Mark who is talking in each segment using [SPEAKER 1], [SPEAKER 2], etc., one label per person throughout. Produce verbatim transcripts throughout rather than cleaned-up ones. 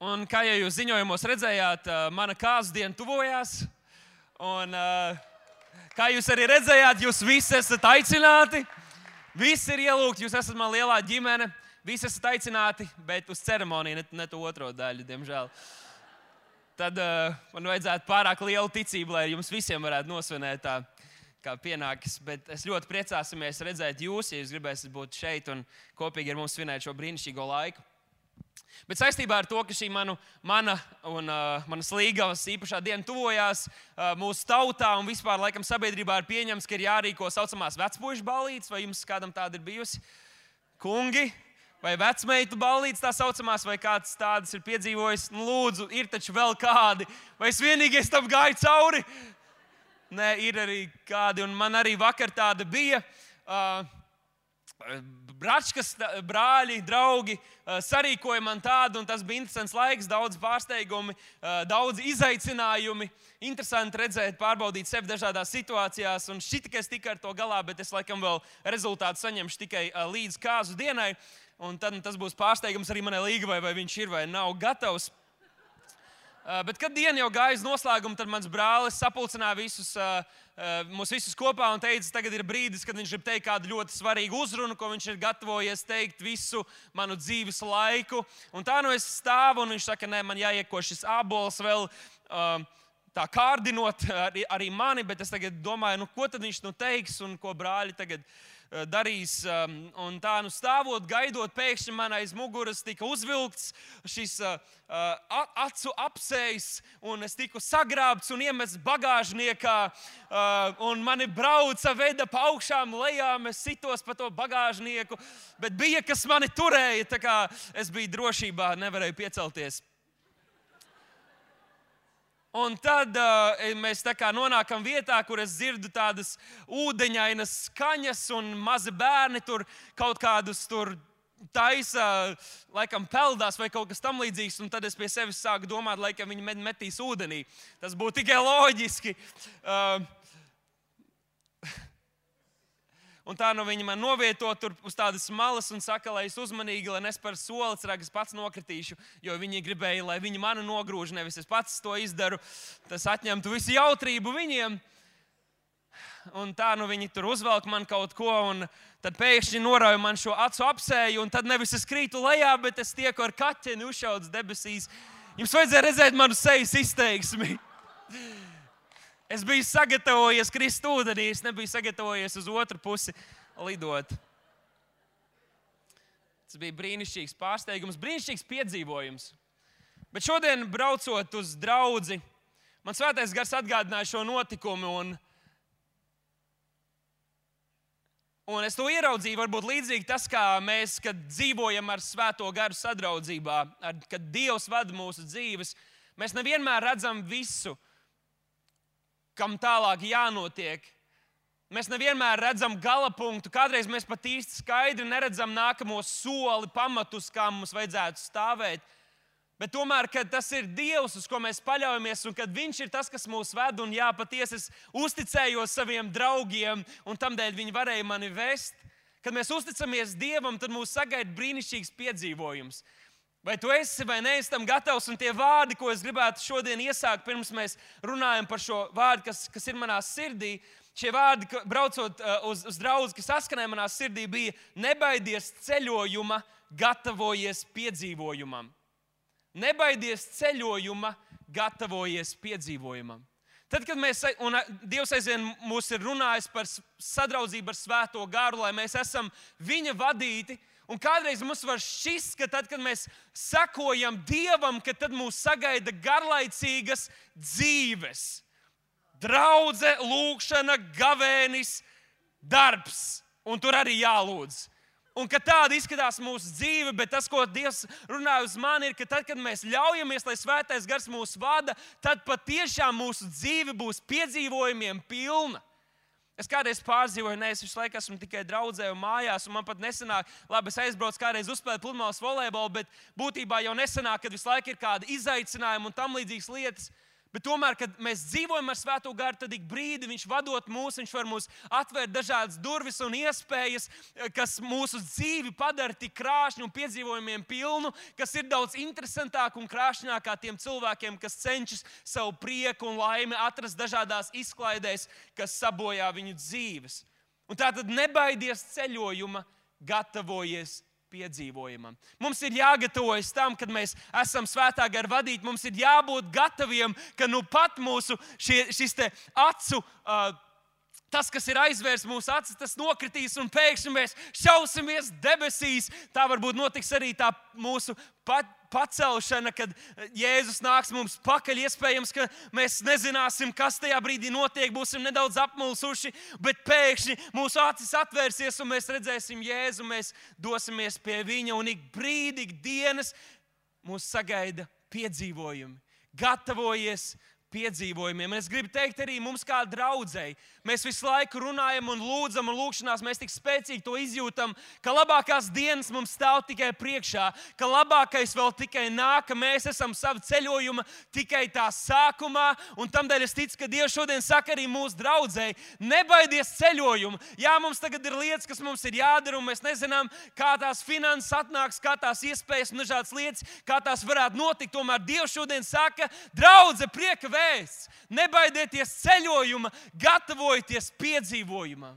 [SPEAKER 1] Un kā jau jūs ziņojumos redzējāt, mana kāzu diena tuvojās. Un, kā jūs arī redzējāt, jūs visi esat aicināti. Visi ir ielūgti, jūs esat man lielā ģimene. Visi esat aicināti, bet uz ceremoniju, ne, ne to otro daļu, diemžēl. Tad uh, man vajadzētu pārāk lielu ticību, lai jums visiem varētu nosvinēt tā, kā pienākas. Bet es ļoti priecāsimies redzēt jūs, ja jūs gribēsiet būt šeit un kopīgi ar mums svinēt šo brīnišķīgo laiku. Bet saistībā ar to, ka šī manu, mana un uh, manas līgavas īpašā diena tuvojās uh, mūsu tautā un vispār laikam sabiedrībā ir pieņems, ka ir jārīko saucamās vecpuišu ballītes, vai jums kādam tāda ir bijusi? Kungi? Vai vecmeitu ballītes tā saucamās, vai kāds tādas ir piedzīvojis? Nu, lūdzu, ir taču vēl kādi. Vai es vienīgais tam gāju cauri? Nē, ir arī kādi, un man arī vakar tāda bija. Uh, Bračkas, brāļi, draugi sarīkoja man tādu, un tas bija interesants laiks, daudz pārsteigumi, daudz izaicinājumi. Interesanti redzēt, pārbaudīt sevi dažādās situācijās, un šķita, ka es tikai ar to galā, bet es laikam vēl rezultātu saņemšu tikai līdz kāzu dienai, un tad tas būs pārsteigums arī manai līgavai, vai viņš ir vai nav gatavs. Bet, kad diena jau gāja uz noslēgumu, tad mans brālis sapulcināja visus, mūs visus kopā un teica, tagad ir brīdis, kad viņš grib teikt kādu ļoti svarīgu uzrunu, ko viņš ir gatavojies teikt visu manu dzīves laiku. Un tā nu es stāvu, un viņš saka, nē, man jāieko šis ābols vēl tā kārdinot arī, arī mani, bet es tagad domāju, nu, ko tad viņš nu teiks un ko brāļi tagad darīs. Un tā nu stāvot, gaidot, pēkšņi man aiz muguras tika uzvilkts šis acu apsējs, un es tiku sagrābts un iemests bagāžniekā, un mani brauca, veda pa augšām lejām, es sitos pa to bagāžnieku, bet bija, kas mani turēja, tā kā es biju drošībā, nevarēju piecelties. Un tad uh, mēs tā kā nonākam vietā, kur es dzirdu tādas ūdeņainas skaņas, un mazi bērni tur kaut kādus tur taisa, laikam peldās vai kaut kas tam līdzīgs, un tad es pie sevis sāku domāt, laikam viņi metīs ūdenī. Tas būtu tikai loģiski. Uh, Un tā nu viņi man novieto tur uz tādas malas un saka, lai es uzmanīgi, lai nesparu soli, cerāk es pats nokritīšu, jo viņi gribēja, lai viņi mani nogrūž, nevis es pats to izdaru. Tas atņemtu visu jautrību viņiem. Un tā nu viņi tur uzvelk man kaut ko, un tad pēkšņi norauja man šo acu apsēju, un tad nevis es krītu lejā, bet es tieku ar kaķeni uzšauts debesīs. Jums vajadzēja redzēt manu sejas izteiksmi. Es biju sagatavojies krist ūdenī, es nebiju sagatavojies uz otru pusi lidot. Tas bija brīnišķīgs pārsteigums, brīnišķīgs piedzīvojums. Bet šodien, braucot uz draudzi, man svētais gars atgādināja šo notikumu, un, un es to ieraudzīju, varbūt līdzīgi tas, kā mēs, kad dzīvojam ar svēto garu sadraudzībā, ar, kad Dievs vada mūsu dzīves, mēs nevienmēr redzam visu, kam tālāk jānotiek. Mēs nevienmēr redzam gala punktu. Kādreiz mēs pat īsti skaidri neredzam nākamo soli, pamatus, kā mums vajadzētu stāvēt. Bet tomēr, kad tas ir Dievs, uz ko mēs paļaujamies, un kad Viņš ir tas, kas mūs ved, un jā, patiesi es uzticējos saviem draugiem, un tamdēļ viņi varēja mani vest. Kad mēs uzticamies Dievam, tad mūs sagaida brīnišķīgs piedzīvojums. Vai tu esi vai neesi tam gatavs? Un tie vārdi, ko es gribētu šodien iesākt, pirms mēs runājam par šo vārdu, kas, kas ir manā sirdī, šie vārdi, braucot uz, uz draudzi, kas saskanēja manā sirdī, bija nebaidies ceļojuma, gatavojies piedzīvojumam. Nebaidies ceļojuma, gatavojies piedzīvojumam. Tad, kad mēs, un Dievs aizvien mūs ir runājis par sadraudzību ar svēto garu, lai mēs esam viņa vadīti, un kādreiz mums var šķist, ka tad, kad mēs sekojam Dievam, ka tad mūs sagaida garlaicīgas dzīves. Draudze, lūgšana, gavēnis, darbs. Un tur arī jālūdz. Un ka tāda izskatās mūsu dzīve, bet tas, ko Dievs runāja uz mani, ir, ka tad, kad mēs ļaujamies, lai svētais gars mūs vada, tad patiešām mūsu dzīve būs piedzīvojumiem pilna. Es kādreiz pārdzīvoju, ne, es visu laiku esmu tikai draudzē un mājās, un man pat nesanāk, labi, es aizbraucu kādreiz uzspēlēt pludmales volejbolu, bet būtībā jau nesanāk, kad visu laiku ir kādi izaicinājumi un tam līdzīgas lietas. Bet tomēr, kad mēs dzīvojam ar Svēto garu, tad ik brīdi viņš vadot mūs, viņš var mūs atvērt dažādas durvis un iespējas, kas mūsu dzīvi padara tik krāšņu un piedzīvojumiem pilnu, kas ir daudz interesantāk un krāšņāk kā tiem cilvēkiem, kas cenšas savu prieku un laimi atrast dažādās izklaidēs, kas sabojā viņu dzīves. Un tātad nebaidies ceļojuma, gatavojies piedzīvojumam. Mums ir jāgatavojas tam, kad mēs esam Svētā gara vadīti. Mums ir jābūt gataviem, ka nu pat mūsu šie, šis te acu, uh, tas, kas ir aizvērs mūsu acis, tas nokritīs un pēkšņi mēs šausimies debesīs. Tā varbūt notiks arī tā mūsu pat, pacelšana, kad Jēzus nāks mums pakaļ. Iespējams, ka mēs nezināsim, kas tajā brīdī notiek, būsim nedaudz apmulsuši, bet pēkšņi mūsu acis atvērsies un mēs redzēsim Jēzu, mēs dosimies pie viņa un ik brīdi, ik dienas mūs sagaida piedzīvojumi. Gatavojies piedzīvojumiem. Un es gribu teikt arī mums kā draudzei. Mēs visu laiku runājam un lūdzam un lūkšanās mēs tik spēcīgi to izjūtam, ka labākās dienas mums stāv tikai priekšā, ka labākais vēl tikai nāk, ka mēs esam savu ceļojuma tikai tā sākumā, un tamdēļ es ticu, ka Dievs šodien saka arī mūsu draudzei, nebaidies ceļojumu. Jā, mums tagad ir lietas, kas mums ir jādara, un mēs nezinām, kā tās finanses atnāks, kā tās iespējas un dažādas lietas, kā tās varētu notikt. Tomēr Dievs šodien saka, draudze, prieka vēsts, nebaidieties ceļojuma, gatavojieties piedzīvojumam.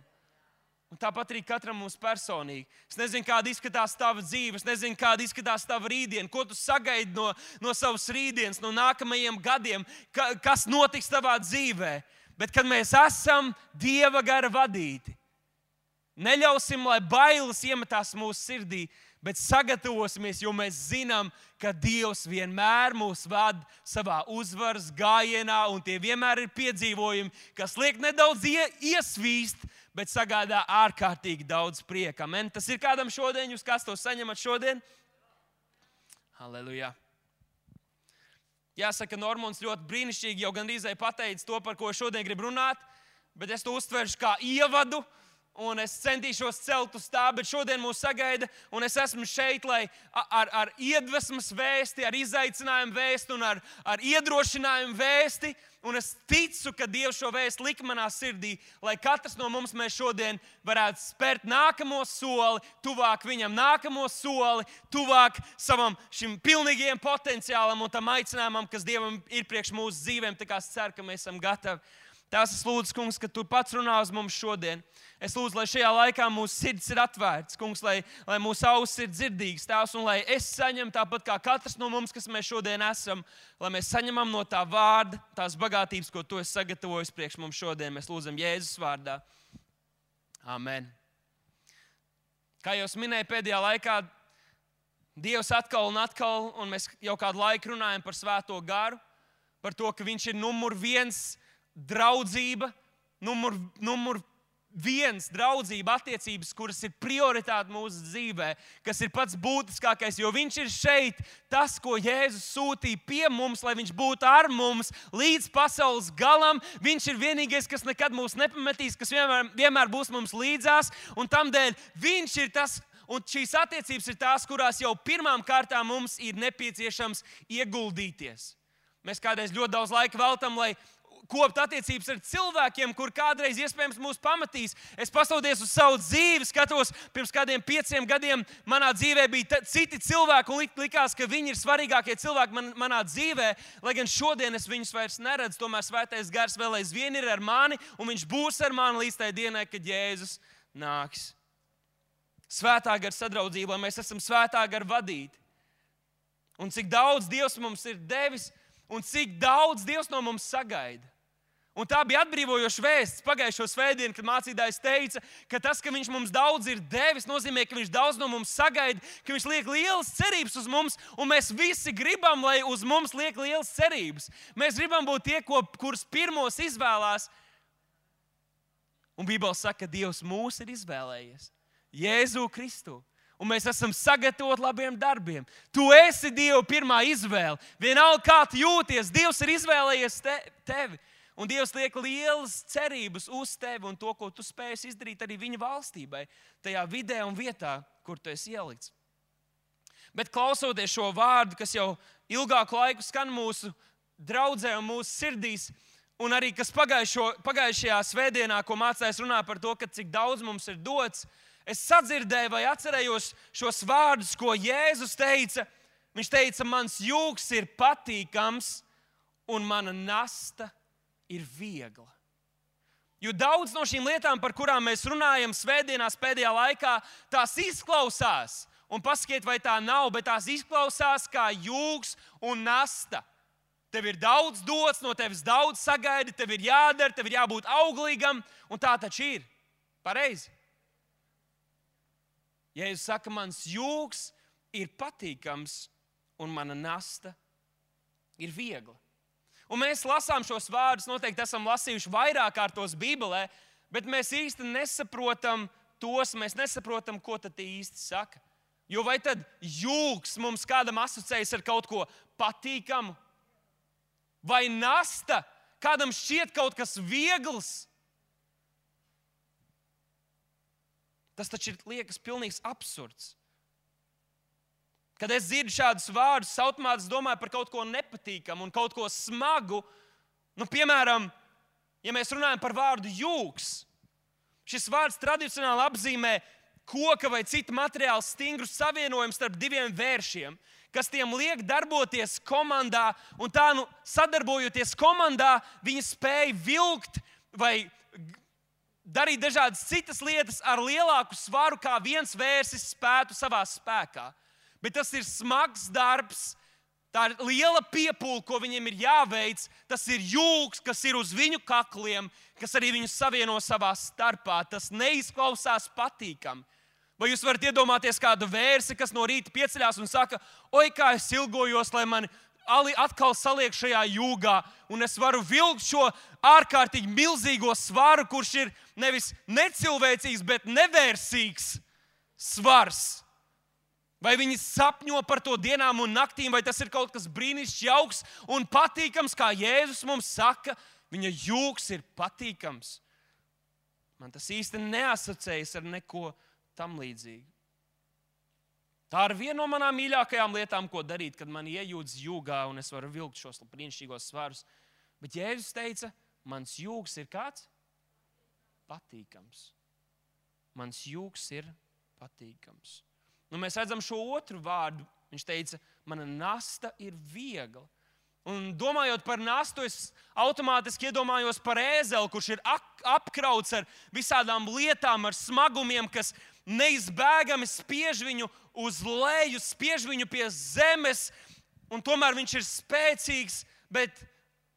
[SPEAKER 1] Un tāpat arī katram mums personīgi. Es nezinu, kāda izskatās tava dzīve, es nezinu, kāda izskatās tava rītdiena, ko tu sagaidi no, no savas rītdienas, no nākamajiem gadiem, ka, kas notiks tavā dzīvē. Bet kad mēs esam Dieva gara vadīti, neļausim, lai bailes iemetās mūsu sirdī, bet sagatavosimies, jo mēs zinām, ka Dievs vienmēr mūs vada savā uzvaras gājienā, un tie vienmēr ir piedzīvojumi, kas liek nedaudz iesvīst, bet sagādā ārkārtīgi daudz prieka. Amen. Tas ir kādam šodien, jūs kas to saņemat šodien? Halleluja. Jāsaka, Normons ļoti brīnišķīgi jau gandrīz pateica to, par ko šodien grib runāt, bet es to uztveršu kā ievadu, un es centīšos celt uz tā, bet šodien mūs sagaida, un es esmu šeit, lai ar, ar iedvesmas vēsti, ar izaicinājumu vēsti un ar, ar iedrošinājumu vēsti, un es ticu, ka Dievs šo vēstu lika manā sirdī, lai katrs no mums mēs šodien varētu spērt nākamo soli, tuvāk viņam nākamo soli, tuvāk savam šim pilnīgajam potenciālam un tam aicinājumam, kas Dievam ir priekš mūsu dzīvēm, tā kā es ceru, ka mēs esam gatavi. Tās es lūdzu, kungs, ka tu pats runā uz mums šodien. Es lūdzu, lai šajā laikā mūsu sirds ir atvērts, kungs, lai, lai mūsu ausis ir dzirdīgas, tās, un lai es saņemu tāpat kā katrs no mums, kas mēs šodien esam, lai mēs saņemam no tā vārda, tās bagātības, ko tu esi sagatavojis priekš mums šodien. Mēs lūdzam Jēzus vārdā. Amen. Kā jau es minēju pēdējā laikā, Dievs atkal un atkal, un mēs jau kādu laiku runājam par Svēto garu, par to, ka viņš ir numur viens draudzība, numur, numur viens draudzība attiecības, kuras ir prioritāte mūsu dzīvē, kas ir pats būtiskākais, jo viņš ir šeit, tas, ko Jēzus sūtīja pie mums, lai viņš būtu ar mums līdz pasaules galam. Viņš ir vienīgais, kas nekad mūs nepametīs, kas vienmēr, vienmēr būs mums līdzās, un tamdēļ viņš ir tas, un šīs attiecības ir tās, kurās jau pirmām kārtām mums ir nepieciešams ieguldīties. Mēs kādreiz ļoti daudz laika veltam, lai kopt attiecības ar cilvēkiem, kur kādreiz iespējams mūs pamatīs. Es paskatoties uz savu dzīvi, skatos, pirms kādiem pieciem gadiem manā dzīvē bija citi cilvēki, un likās, ka viņi ir svarīgākie cilvēki man, manā dzīvē, lai gan šodien es viņus vairs neredzu. Tomēr Svētais Gars vēl aizvien ir ar mani, un viņš būs ar mani līdz tai dienai, kad Jēzus nāks. Svētā gara sadraudzība, lai mēs esam Svētā gara vadīti. Un cik daudz Dievs mums ir devis, un cik daudz Dievs no mums sagaida. Un tā bija atbrīvojoša vēsts pagājušo svētdienu, kad mācītājs teica, ka tas, ka viņš mums daudz ir devis, nozīmē, ka viņš daudz no mums sagaida, ka viņš liek lielas cerības uz mums, un mēs visi gribam, lai uz mums liek lielas cerības. Mēs gribam būt tie, ko, kurus pirmos izvēlās. Un Bībele saka, ka Dievs mūs ir izvēlējies. Jēzu Kristu. Un mēs esam sagatavoti labiem darbiem. Tu esi Dieva pirmā izvēle. Vienalga, kā tu jūties, Dievs ir izvēlējies te, tevi. Un Dievs liek lielas cerības uz tevi un to, ko tu spēsi izdarīt arī viņa valstībai, tajā vidē un vietā, kur tu esi ielikts. Bet klausoties šo vārdu, kas jau ilgāku laiku skan mūsu draudzē un mūsu sirdīs, un arī kas pagājušo, pagājušajā svētdienā, ko mācājās runā par to, ka cik daudz mums ir dots, es sadzirdēju vai atcerējos šos vārdus, ko Jēzus teica. Viņš teica, mans jūgs ir patīkams un mana nasta ir viegla. Jo daudz no šīm lietām, par kurām mēs runājam svētdienās pēdējā laikā, tās izklausās, un pasakiet, vai tā nav, bet tās izklausās kā jūgs un nasta. Tev ir daudz dots, no tevis daudz sagaidi, tev ir jādara, tev ir jābūt auglīgam, un tā taču ir. Pareizi. Jēzus saka, mans jūgs ir patīkams, un mana nasta ir viegla. Un mēs lasām šos vārdus, noteikti esam lasījuši vairāk kārtos Bībelē, bet mēs īsti nesaprotam tos, mēs nesaprotam, ko tad īsti saka. Jo vai tad jūgs mums kādam asociējas ar kaut ko patīkamu? Vai nasta kādam šķiet kaut kas viegls? Tas taču ir, liekas, pilnīgs absurds. Kad es dzirdu šādus vārdus, automātiski domāju par kaut ko nepatīkamu un kaut ko smagu. Nu, piemēram, ja mēs runājam par vārdu jūgs, šis vārds tradicionāli apzīmē koka vai cita materiāla stingru savienojumu starp diviem vēršiem, kas tiem liek darboties komandā, un tā, nu, sadarbojoties komandā, viņi spēj vilkt vai darīt dažādas citas lietas ar lielāku svaru, kā viens vērsis spētu savā spēkā. Bet tas ir smags darbs, tā ir liela piepūle, ko viņiem ir jāveic. Tas ir jūgs, kas ir uz viņu kakliem, kas arī viņus savieno savā starpā. Tas neizklausās patīkami. Vai jūs varat iedomāties kādu vērsi, kas no rīta pieceļās un saka, oi, kā es ilgojos, lai mani atkal saliek šajā jūgā, un es varu vilkt šo ārkārtīgi milzīgo svaru, kurš ir nevis necilvēcīgs, bet nevērsīgs svars. Vai viņi sapņo par to dienām un naktīm, vai tas ir kaut kas brīnišķīgs, jauks un patīkams, kā Jēzus mums saka, viņa jūgs ir patīkams. Man tas īsti neasociējas ar neko tam līdzīgu. Tā ir viena no manām mīļākajām lietām, ko darīt, kad man iejūdz jūgā un es varu vilkt šos brīnišķīgos svarus. Bet Jēzus teica, mans jūgs ir kāds? Patīkams. Mans jūgs ir patīkams. Nu, mēs redzam šo otru vārdu. Viņš teica, mana nasta ir viegla. Un domājot par nastu, es automātiski iedomājos par ēzeli, kurš ir apkrauts ar visādām lietām, ar smagumiem, kas neizbēgami spiež viņu uz leju, spiež viņu pie zemes, un tomēr viņš ir spēcīgs, bet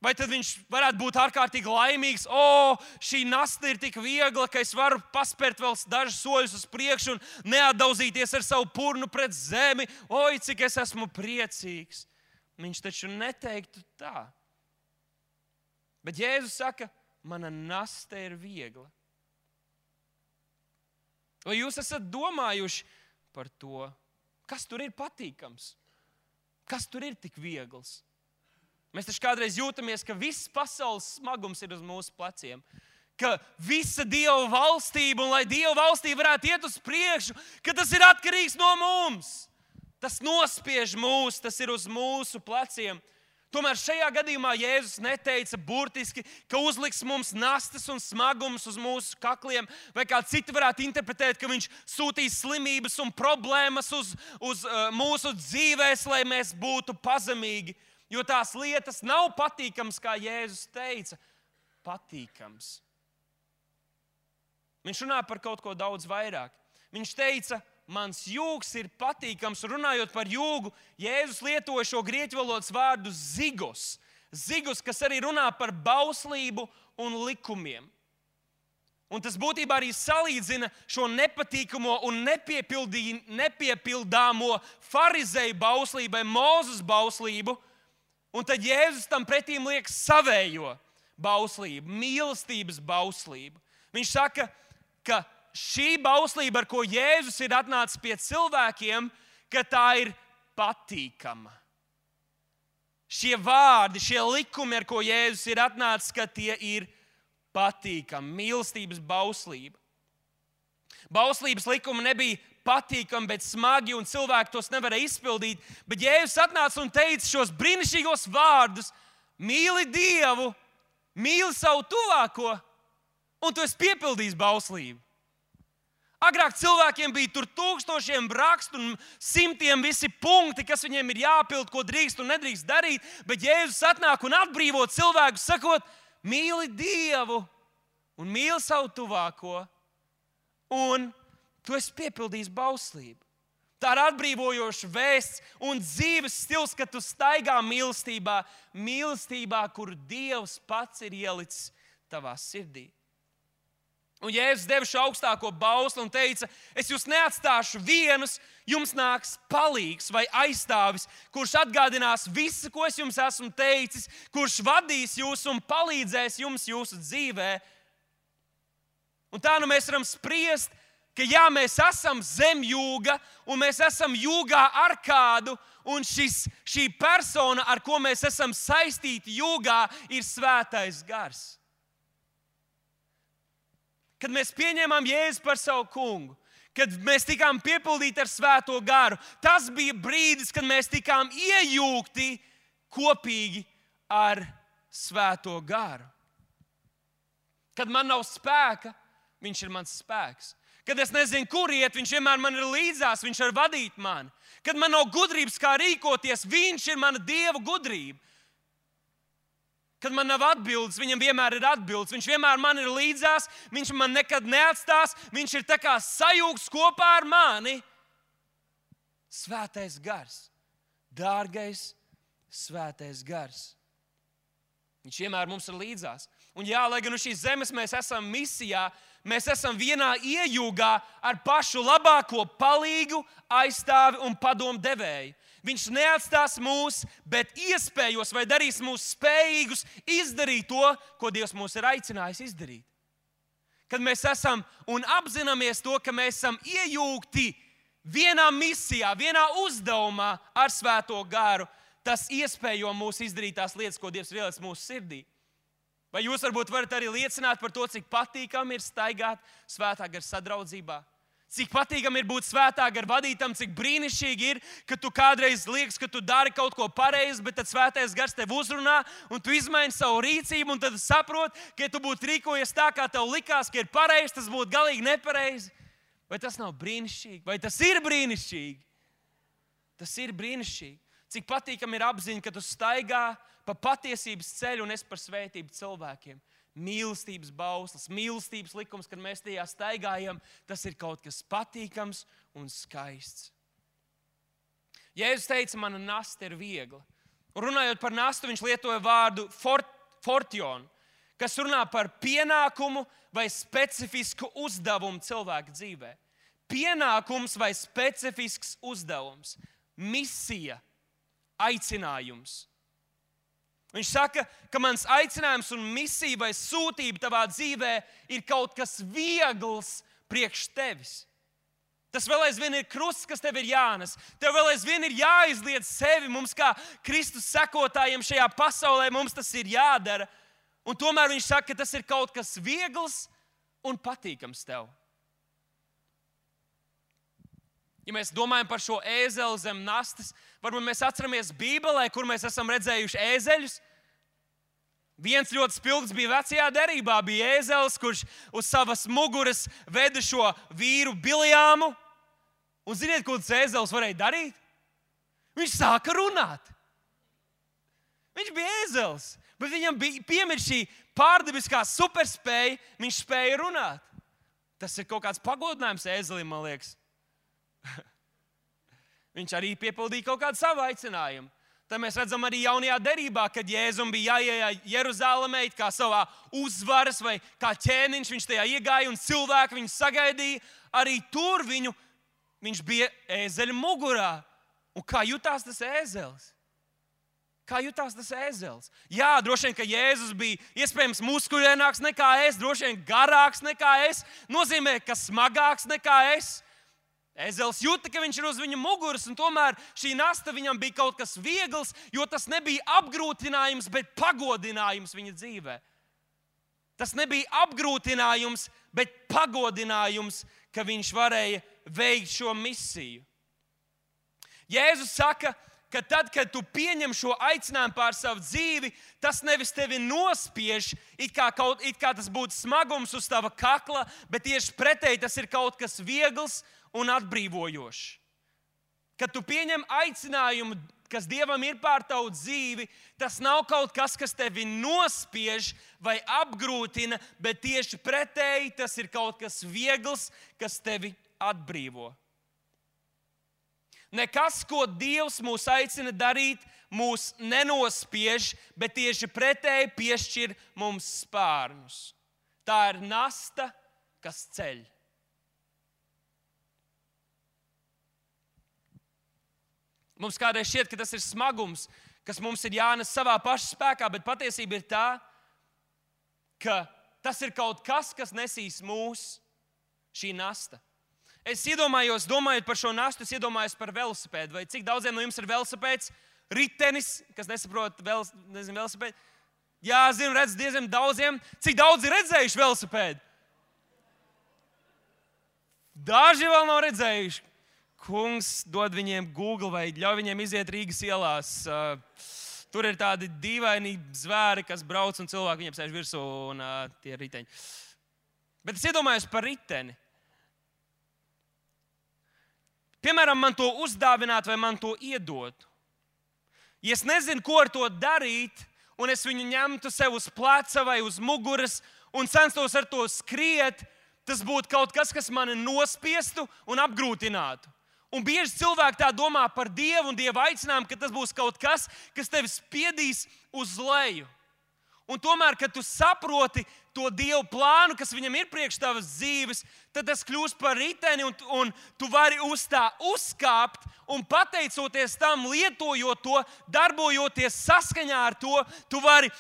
[SPEAKER 1] vai tad viņš varētu būt ārkārtīgi laimīgs? O, šī nasta ir tik viegla, ka es varu paspērt vēl dažus soļus uz priekšu un neatdauzīties ar savu purnu pret zemi. Oi, cik es esmu priecīgs. Viņš taču neteiktu tā. Bet Jēzus saka, mana nasta ir viegla. Vai jūs esat domājuši par to, kas tur ir patīkams? Kas tur ir tik viegls? Mēs taču kādreiz jūtamies, ka viss pasaules smagums ir uz mūsu pleciem. Ka visa Dieva valstība, un lai Dieva valstība varētu iet uz priekšu, ka tas ir atkarīgs no mums. Tas nospiež mūs, tas ir uz mūsu pleciem. Tomēr šajā gadījumā Jēzus neteica burtiski, ka uzliks mums nastas un smagums uz mūsu kakliem, vai kā citi varētu interpretēt, ka viņš sūtīs slimības un problēmas uz, uz uh, mūsu dzīvēs, lai mēs būtu pazemīgi. Jo tās lietas nav patīkams, kā Jēzus teica, patīkams. Viņš runā par kaut ko daudz vairāk. Viņš teica, mans jūgs ir patīkams. Runājot par jūgu, Jēzus lietoja šo grieķu valodas vārdu zigos. Zigos, kas arī runā par bauslību un likumiem. Un tas būtībā arī salīdzina šo nepatīkamo un nepiepildāmo farizēju bauslību vai Mūzes bauslību. Un tad Jēzus tam pretīm liek savējo bauslību, mīlestības bauslību. Viņš saka, ka šī bauslība, ar ko Jēzus ir atnācis pie cilvēkiem, ka tā ir patīkama. Šie vārdi, šie likumi, ar ko Jēzus ir atnācis, ka tie ir patīkami. Mīlestības bauslība. Bauslības likumi nebija patīkami, bet smagi, un cilvēki tos nevarēja izpildīt. Bet Jēzus atnāca un teica šos brīnišķīgos vārdus: mīli Dievu, mīli savu tuvāko, un tu esi piepildījis bauslību. Agrāk cilvēkiem bija tur tūkstošiem rakstu un simtiem visi punkti, kas viņiem ir jāpild, ko drīkst un nedrīkst darīt, bet Jēzus atnāk un atbrīvo cilvēku, sakot, mīli Dievu un mīli savu tuvāko, un tu esi piepildījis bauslību. Tā ir atbrīvojoša vēsts un dzīves stils, kad tu staigā mīlestībā, mīlestībā, kur Dievs pats ir ielicis tavā sirdī. Un Jēzus deva šo augstāko bausli un teica, es jūs neatstāšu vienus, jums nāks palīgs vai aizstāvis, kurš atgādinās visu, ko es jums esmu teicis, kurš vadīs jūs un palīdzēs jums jūsu dzīvē. Un tā nu mēs varam spriest, ka jā, mēs esam zem jūga, un mēs esam jūgā ar kādu, un šis, šī persona, ar ko mēs esam saistīti jūgā, ir Svētais Gars. Kad mēs pieņēmām Jēzu par savu kungu, kad mēs tikām piepildīti ar Svēto Garu, tas bija brīdis, kad mēs tikām iejūgti kopīgi ar Svēto Garu. Kad man nav spēka, viņš ir mans spēks. Kad es nezinu, kur iet, viņš vienmēr man ir līdzās, viņš var vadīt mani. Kad man nav gudrības, kā rīkoties, viņš ir mana Dieva gudrība. Kad man nav atbildes, viņam vienmēr ir atbildes. Viņš vienmēr man ir līdzās, viņš man nekad neatstās, viņš ir tā kā sajūgts kopā ar mani. Svētais Gars, dārgais Svētais Gars. Viņš vienmēr mums ir līdzās. Un jā, lai gan uz šīs zemes mēs esam misijā, mēs esam vienā iejūgā ar pašu labāko palīgu, aizstāvi un padomu devēju. Viņš neatstās mūs, bet iespējos vai darīs mūs spējīgus izdarīt to, ko Dievs mūs ir aicinājis izdarīt. Kad mēs esam un apzināmies to, ka mēs esam iejūgti vienā misijā, vienā uzdevumā ar Svēto Garu, tas iespējo mūs izdarīt tās lietas, ko Dievs ir ielicis mūsu sirdī. Vai jūs varbūt varat arī liecināt par to, cik patīkami ir staigāt Svētā Gara sadraudzībā? Cik patīkami ir būt Svētā Gara vadītam, cik brīnišķīgi ir, ka tu kādreiz liekas, ka tu dari kaut ko pareizi, bet tad Svētais Gars tev uzrunā un tu izmaini savu rīcību un tad saproti, ka ja tu būtu rīkojies tā, kā tev likās, ka ir pareizi, tas būtu galīgi nepareizi. Vai tas nav brīnišķīgi? Vai tas ir brīnišķīgi? Tas ir brīnišķīgi. Cik patīkami ir apziņa, ka tu staigā pa patiesības ceļu un es par svētību cilvēkiem. Mīlestības bauslis, mīlestības likums, kad mēs tajā staigājam, tas ir kaut kas patīkams un skaists. Jēzus teica, mana nasta ir viegla. Un runājot par nastu, viņš lietoja vārdu fort, fortion, kas runā par pienākumu vai specifisku uzdevumu cilvēka dzīvē. Pienākums vai specifisks uzdevums, misija, aicinājums. Viņš saka, ka mans aicinājums un misija vai sūtība tavā dzīvē ir kaut kas viegls priekš tevis. Tas vēl aizvien ir krusts, kas tev ir jānes. Tev vēl aizvien ir jāizliedz sevi. Mums kā Kristus sekotājiem šajā pasaulē mums tas ir jādara. Un tomēr viņš saka, ka tas ir kaut kas viegls un patīkams tev. Ja mēs domājam par šo ēzeli zem nastas, varbūt mēs atceramies Bībelē, kur mēs esam redzējuši ēzeļus. Viens ļoti spilgts bija vecajā derībā, bija ēzelis, kurš uz savas muguras veda šo vīru Biljāmu. Un ziniet, ko tas ēzelis varēja darīt? Viņš sāka runāt. Viņš bija ēzelis, bet viņam bija piemēr šī pārdabiskā superspēja, viņš spēja runāt. Tas ir kaut kāds pagodinājums ēzelim, man liekas. Viņš arī piepildīja kaut kādu savu aicinājumu. Tad mēs redzam arī jaunajā derībā, kad Jēzum bija jāiet Jeruzālēmē kā savā uzvaras vai kā ķēniņš, viņš tajā iegāja un cilvēki viņu sagaidīja. Arī tur viņu, viņš bija ēzeļa mugurā. Un kā jutās tas ēzelis? Kā jutās tas ēzelis? Jā, droši vien, ka Jēzus bija iespējams muskuļaināks nekā es, droši vien garāks nekā es, nozīmē, ka smagāks nekā es. Ēzelis jūta, ka viņš ir uz viņa muguras, un tomēr šī nasta viņam bija kaut kas viegls, jo tas nebija apgrūtinājums, bet pagodinājums viņa dzīvē. Tas nebija apgrūtinājums, bet pagodinājums, ka viņš varēja veikt šo misiju. Jēzus saka, ka tad, kad tu pieņem šo aicinājumu pār savu dzīvi, tas nevis tevi nospiež, it kā, kaut, it kā tas būtu smagums uz tava kakla, bet tieši pretēji tas ir kaut kas viegls un atbrīvojošs. Kad tu pieņem aicinājumu, kas Dievam ir pār tavu dzīvi, tas nav kaut kas, kas tevi nospiež vai apgrūtina, bet tieši pretēji tas ir kaut kas viegls, kas tevi atbrīvo. Nekas, ko Dievs mūs aicina darīt, mūs nenospiež, bet tieši pretēji piešķir mums spārnus. Tā ir nasta, kas ceļ. Mums kādreiz šķiet, ka tas ir smagums, kas mums ir jānes savā paša spēkā, bet patiesība ir tā, ka tas ir kaut kas, kas nesīs mūs šī nasta. Es iedomājos, domājot par šo nastu, es iedomājos par velosipēdu. Vai cik daudziem no jums ir velosipēds? Ritenis, kas nesaprot vel, nezinu, velosipēdu? Jā, zinu, redz diezgan daudziem. Cik daudz ir redzējuši velosipēdu? Daži vēl nav redzējuši. Kungs dod viņiem Google vai ļauj viņiem iziet Rīgas ielās. Tur ir tādi dīvaini zvēri, kas brauc un cilvēki viņiem sēž virsū un uh, tie riteņi. Bet es iedomājos par riteni. Piemēram, man to uzdāvināt vai man to iedot. Ja es nezinu, ko ar to darīt, un es viņu ņemtu sev uz pleca vai uz muguras un censtos ar to skriet, tas būtu kaut kas, kas mani nospiestu un apgrūtinātu. Un bieži cilvēki tā domā par Dievu un Dieva aicinājumu, ka tas būs kaut kas, kas tevi spiedīs uz leju. Un tomēr, kad tu saproti to Dievu plānu, kas viņam ir priekš tavas dzīves, tad tas kļūst par riteni un, un tu vari uz tā uzkāpt un pateicoties tam, lietojot to, darbojoties saskaņā ar to, tu vari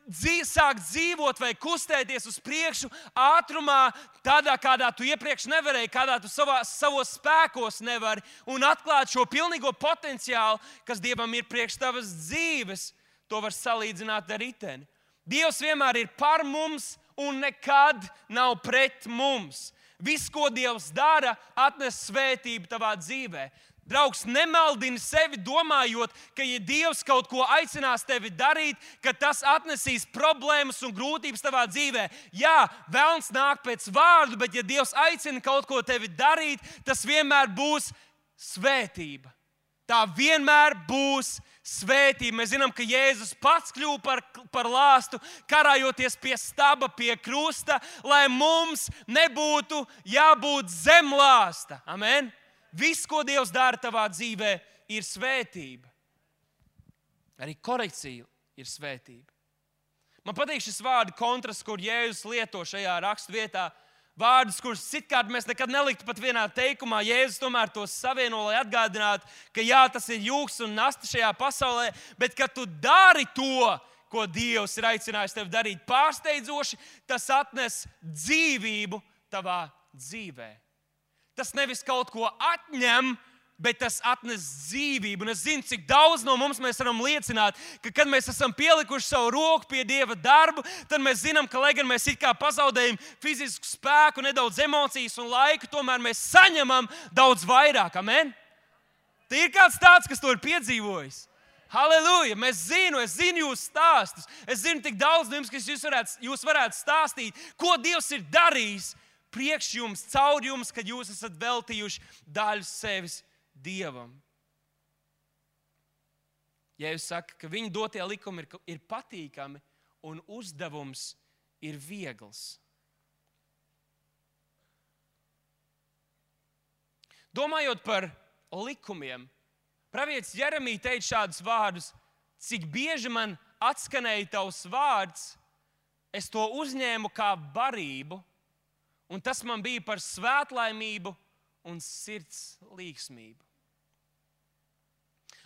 [SPEAKER 1] dzīv, sākt dzīvot vai kustēties uz priekšu ātrumā, tādā, kādā tu iepriekš nevarēji, kādā tu savā, savos spēkos nevari, un atklāt šo pilnīgo potenciālu, kas Dievam ir priekš tavas dzīves. To var salīdzināt ar riteni. Dievs vienmēr ir par mums un nekad nav pret mums. Viss, ko Dievs dara, atnes svētību tavā dzīvē. Draugs, nemaldini sevi domājot, ka ja Dievs kaut ko aicinās tevi darīt, ka tas atnesīs problēmas un grūtības tavā dzīvē. Jā, velns nāk pēc vārdu, bet ja Dievs aicina kaut ko tevi darīt, tas vienmēr būs svētība. Tā vienmēr būs svētība. Mēs zinām, ka Jēzus pats kļuva par, par lāstu, karājoties pie staba, pie krusta, lai mums nebūtu jābūt zem lāsta. Amen? Viss, ko Dievs dara tavā dzīvē, ir svētība. Arī korekcija ir svētība. Man patīk šis vārdu kontrasts, kur Jēzus lieto šajā rakstvietā. Vārdus, kurus citkārt mēs nekad neliktu pat vienā teikumā. Jēzus tomēr tos savieno, lai atgādinātu, ka jā, tas ir jūgs un nasta šajā pasaulē, bet kad tu dari to, ko Dievs ir aicinājis tevi darīt pārsteidzoši, tas atnes dzīvību tavā dzīvē. Tas nevis kaut ko atņem, bet tas atnes dzīvību. Un es zinu, cik daudz no mums mēs varam liecināt, ka, kad mēs esam pielikuši savu roku pie Dieva darbu, tad mēs zinām, ka, lai gan mēs it kā pazaudējam fizisku spēku, nedaudz emocijas un laiku, tomēr mēs saņemam daudz vairāk. Amen? Te ir kāds tāds, kas to ir piedzīvojis. Halleluja! Mēs zinu, es zinu jūsu stāstus. Es zinu tik daudz no jums, kas jūs varētu, jūs varētu stāstīt, ko Dievs ir darījis priekš jums, caur jums, kad jūs esat veltījuši daļu sevis Dievam. Jēzus saka, ka viņa dotie likumi ir, ir patīkami un uzdevums ir viegls. Domājot par likumiem, pravietis Jeremija teica šādus vārdus: cik bieži man atskanēja tavs vārds, es to uzņēmu kā barību, un tas man bija par svētlaimību un sirds līgsmību.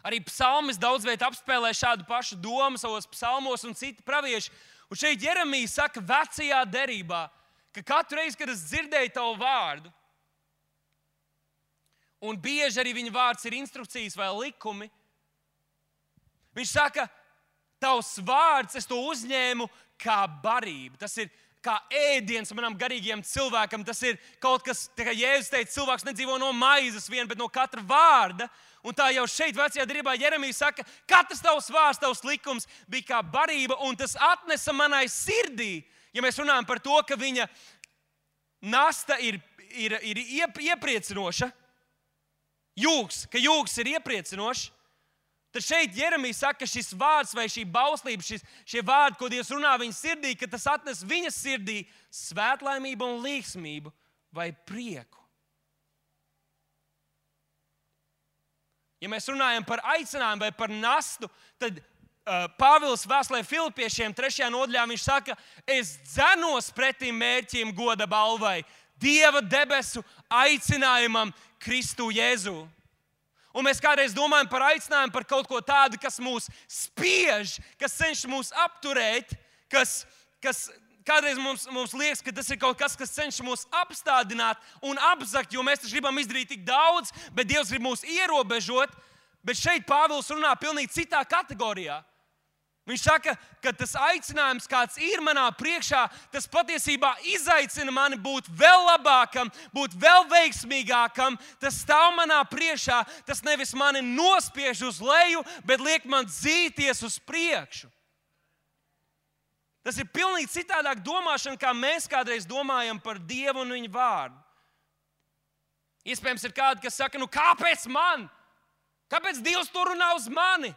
[SPEAKER 1] Arī psalmis daudz viet apspēlē šādu pašu domu savos psalmos un citi pravieši. Un šeit Jeremija saka vecajā derībā, ka katru reizi, kad es dzirdēju tavu vārdu, un bieži arī viņa vārds ir instrukcijas vai likumi, viņš saka, tavs vārds, es to uzņēmu kā barību. Tas ir, kā ēdiens manam garīgajam cilvēkam. Tas ir kaut kas, tā kā Jēzus teica, cilvēks nedzīvo no maizes vien, bet no katra vārda. Un tā jau šeit, vecajā derībā, Jeremija saka, katrs tavs vārds, tavs likums bija kā barība, un tas atnesa manai sirdī. Ja mēs runājam par to, ka viņa nasta ir, ir, ir iep, iepriecinoša, jūgs, ka jūgs ir iepriecinošs, tad šeit Jeremija saka, ka šis vārds vai šī bauslība, šis, šie vārdi, ko Dievs runā viņa sirdī, ka tas atnes viņa sirdī svētlaimību un līgsmību vai prieku. Ja mēs runājam par aicinājumu vai par nastu, tad uh, Pāvils vēstulē Filipiešiem trešajā nodaļā viņš saka, es dzenos pretī mērķim goda balvai, Dieva debesu aicinājumam Kristu Jēzu. Un mēs kādreiz domājam par aicinājumu, par kaut ko tādu, kas mūs spiež, kas cenšas mūs apturēt, kas, kas kādreiz mums, mums liekas, ka tas ir kaut kas, kas cenšas mūs apstādināt un apzakt, jo mēs taču gribam izdarīt tik daudz, bet Dievs grib mūs ierobežot. Bet šeit Pāvils runā pilnīgi citā kategorijā. Viņš saka, ka tas aicinājums, kāds ir manā priekšā, tas patiesībā izaicina mani būt vēl labākam, būt vēl veiksmīgākam. Tas stāv manā priekšā, tas nevis mani nospiež uz leju, bet liek man dzīties uz priekšu. Tas ir pilnīgi citādāk domāšana, kā mēs kādreiz domājam par Dievu un viņa vārdu. Iespējams, ir kādi, kas saka, nu kāpēc man? Kāpēc Dievs to runā uz mani?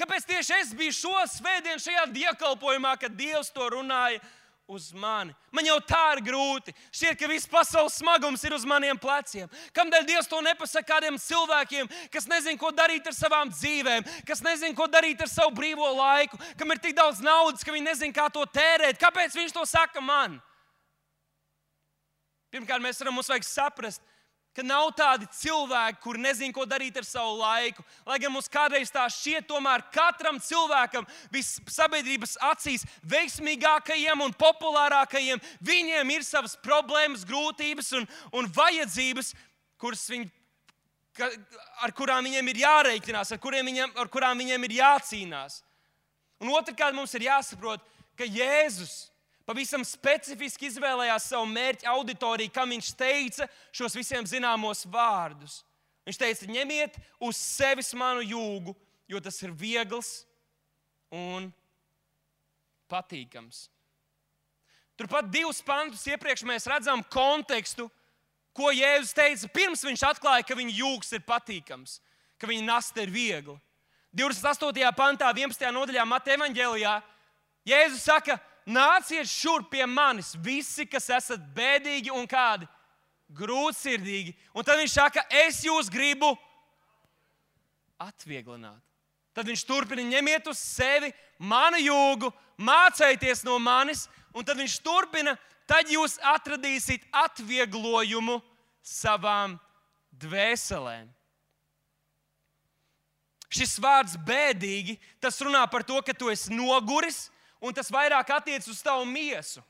[SPEAKER 1] Kāpēc tieši es biju šo svētdienu šajā dievkalpojumā, kad Dievs to runāja uz mani? Man jau tā ir grūti. Šķiet, ka viss pasaules smagums ir uz maniem pleciem. Kamdēļ Dievs to nepasaka kādiem cilvēkiem, kas nezin, ko darīt ar savām dzīvēm, kas nezin, ko darīt ar savu brīvo laiku, kam ir tik daudz naudas, ka viņi nezin, kā to tērēt. Kāpēc viņš to saka man? Pirmkārt, mēs varam, mums vajag saprast, ka nav tādi cilvēki, kuri nezin, ko darīt ar savu laiku. Lai gan mums kādreiz tā šķiet, tomēr katram cilvēkam, sabiedrības acīs veiksmīgākajiem un populārākajiem, viņiem ir savas problēmas, grūtības un, un vajadzības, kuras viņi, ar kurām viņiem ir jārēķinās, ar, viņiem, ar kurām viņiem ir jācīnās. Un otrkārt mums ir jāsaprot, ka Jēzus pavisam specifiski izvēlējās savu mērķu auditoriju, kam viņš teica šos visiem zināmos vārdus. Viņš teica, ņemiet uz sevis manu jūgu, jo tas ir viegls un patīkams. Turpat divus pantus iepriekš mēs redzam kontekstu, ko Jēzus teica, pirms viņš atklāja, ka viņa jūgs ir patīkams, ka viņa nasta ir viegla. divdesmit astotajā pantā, vienpadsmitajā nodaļā Mateja evaņģēlijā, Jēzus saka, nāciet šurp pie manis, visi, kas esat bēdīgi un kādi grūtsirdīgi. Un tad viņš saka, es jūs gribu atvieglināt. Tad viņš turpina, ņemiet uz sevi manu jūgu, mācieties no manis, un tad viņš turpina, tad jūs atradīsiet atvieglojumu savām dvēselēm. Šis vārds bēdīgi, tas runā par to, ka tu esi noguris, un tas vairāk attiec uz tavu miesu.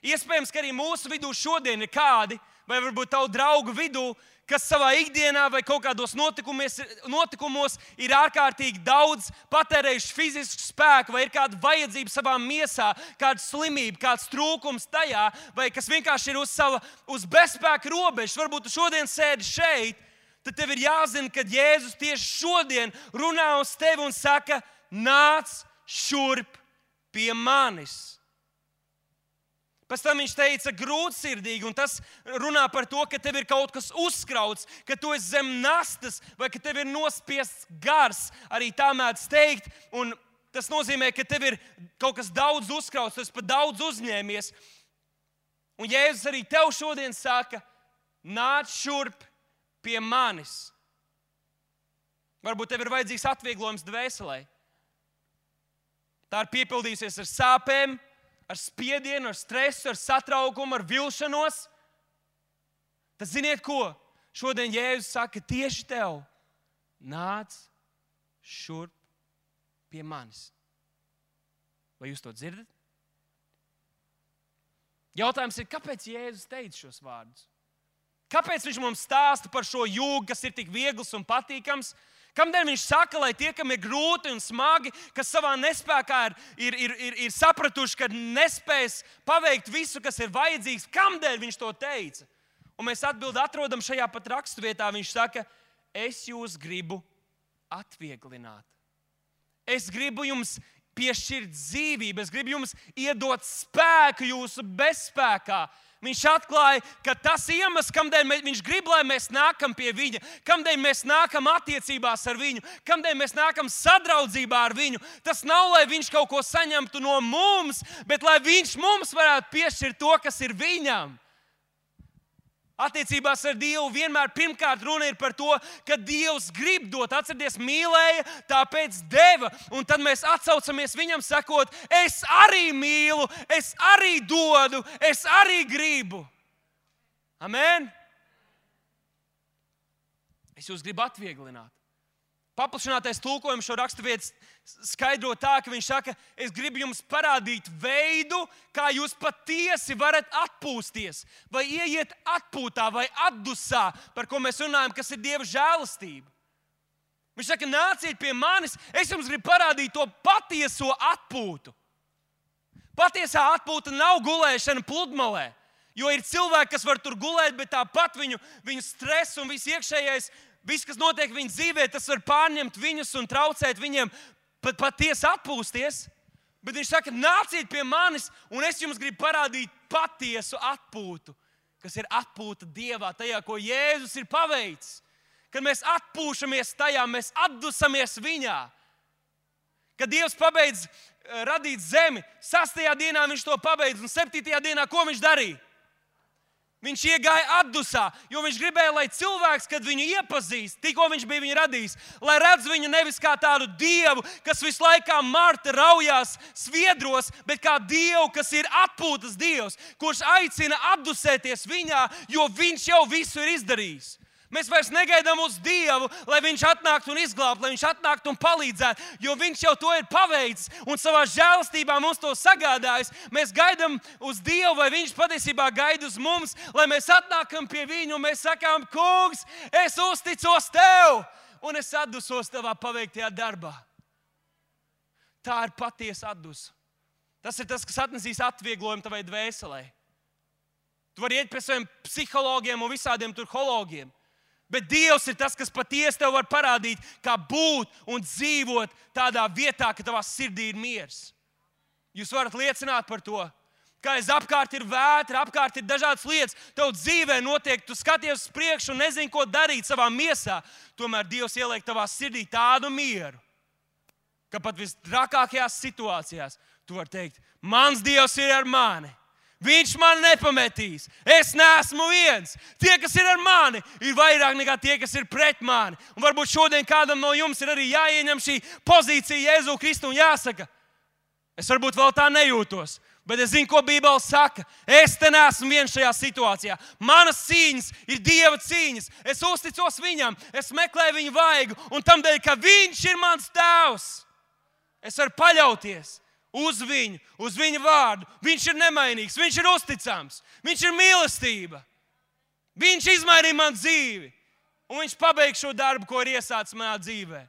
[SPEAKER 1] Iespējams, ka arī mūsu vidū šodien ir kādi, vai varbūt tavu draugu vidū, kas savā ikdienā vai kaut kādos notikumos ir ārkārtīgi daudz patērējuši fizisku spēku, vai ir kāda vajadzība savā miesā, kāda slimība, kāds trūkums tajā, vai kas vienkārši ir uz, sava, uz bezspēka robežas. Varbūt tu šodien sēdi šeit, tad tev ir jāzina, ka Jēzus tieši šodien runā uz tevi un saka, nāc šurp pie manis. Pēc tam viņš teica grūtsirdīgi, un tas runā par to, ka tev ir kaut kas uzkrauts, ka tu esi zem nastas, vai ka tev ir nospiests gars, arī tā mēdz teikt, un tas nozīmē, ka tev ir kaut kas daudz uzkrauts, tu esi pat daudz uzņēmies. Un Jēzus arī tev šodien saka, nāc šurp pie manis. Varbūt tev ir vajadzīgs atvieglojums dvēselē. Tā ir piepildījusies ar sāpēm, ar spiedienu, ar stresu, ar satraukumu, ar vilšanos. Tad ziniet ko? Šodien Jēzus saka tieši tev, nāc šurp pie manis. Vai jūs to dzirdat? Jautājums ir, kāpēc Jēzus teica šos vārdus? Kāpēc viņš mums stāsta par šo jūgu, kas ir tik viegls un patīkams? Kamdēļ viņš saka, lai tie, kam ir grūti un smagi, kas savā nespējā ir, ir, ir, ir, ir sapratuši, ka nespēs paveikt visu, kas ir vajadzīgs, kamdēļ viņš to teica? Un mēs atbildi atrodam šajā pat raksturvietā. Viņš saka, es jūs gribu atvieglināt. Es gribu jums piešķirt dzīvību, es gribu jums iedot spēku jūsu bezspēkā. Viņš atklāja, ka tas iemesls, kādēļ viņš grib, lai mēs nākam pie viņa, kādēļ mēs nākam attiecībās ar viņu, kādēļ mēs nākam sadraudzībā ar viņu, tas nav, lai viņš kaut ko saņemtu no mums, bet lai viņš mums varētu piešķirt to, kas ir viņam. Attiecībās ar Dievu vienmēr pirmkārt runa ir par to, ka Dievs grib dot. Atcerieties, mīlēja, tāpēc deva. Un tad mēs atsaucamies viņam sakot, es arī mīlu, es arī dodu, es arī gribu. Amen? Es jūs gribu atvieglināt. Paplašinātais tulkojums šo raksturvietu skaidro tā, ka viņš saka, es gribu jums parādīt veidu, kā jūs patiesi varat atpūsties, vai ieiet atpūtā, vai atdusā, par ko mēs runājam, kas ir Dieva žēlastība. Viņš saka, nāciet pie manis, es jums gribu parādīt to patieso atpūtu. Patiesā atpūta nav gulēšana pludmalē, jo ir cilvēki, kas var tur gulēt, bet tāpat viņu, viņu stress un viss iekšējais, viss, kas notiek viņu dzīvē, tas var pārņemt viņus un traucēt viņiem pat patiesi atpūsties. Bet viņš saka, nāciet pie manis, un es jums gribu parādīt patiesu atpūtu, kas ir atpūta Dievā, tajā, ko Jēzus ir paveicis. Kad mēs atpūšamies tajā, mēs atdusamies viņā. Kad Dievs pabeidz radīt zemi, sastajā dienā viņš to pabeidz, un septītajā dienā ko viņš darīja? Viņš iegāja atdusā, jo viņš gribēja, lai cilvēks, kad viņu iepazīst, tikko viņš bija viņu radījis, lai redz viņu nevis kā tādu Dievu, kas visu laiku Marta raujās sviedros, bet kā Dievu, kas ir atpūtas Dievs, kurš aicina atdusēties viņā, jo viņš jau visu ir izdarījis. Mēs vairs negaidām uz Dievu, lai viņš atnāktu un izglābtu, lai viņš atnāktu un palīdzētu, jo viņš jau to ir paveicis un savā žēlastībā mums to sagādājis. Mēs gaidām uz Dievu, vai viņš patiesībā gaida uz mums, lai mēs atnākam pie viņu un mēs sakām, kungs, es uzticos tev un es atdusos tavā paveiktajā darbā. Tā ir patiesa atdusa. Tas ir tas, kas atnesīs atvieglojumu tavai dvēselē. Tu vari iet pie saviem psihologiem un visādiem turhologiem. Bet Dievs ir tas, kas patiesi tev var parādīt, kā būt un dzīvot tādā vietā, ka tavā sirdī ir miers. Jūs varat liecināt par to, ka aiz apkārt ir vētra, apkārt ir dažādas lietas. Tev dzīvē notiek, tu skaties uz priekšu un nezini, ko darīt savā miesā. Tomēr Dievs ieliek tavā sirdī tādu mieru, ka pat visdrakākajās situācijās tu vari teikt, mans Dievs ir ar mani. Viņš man nepametīs. Es neesmu viens. Tie, kas ir ar mani, ir vairāk nekā tie, kas ir pret mani. Un varbūt šodien kādam no jums ir arī jāieņem šī pozīcija Jēzu Kristu un jāsaka, es varbūt vēl tā nejūtos, bet es zinu, ko Bībele saka. Es te neesmu viens šajā situācijā. Manas cīņas ir Dieva cīņas. Es uzticos viņam, es meklēju viņu vaigu, un tamdēļ, ka viņš ir mans tēvs, es varu paļauties uz viņu, uz viņa vārdu. Viņš ir nemainīgs, viņš ir uzticams, viņš ir mīlestība. Viņš izmainīja man dzīvi, un viņš pabeigs šo darbu, ko ir iesācis manā dzīvē.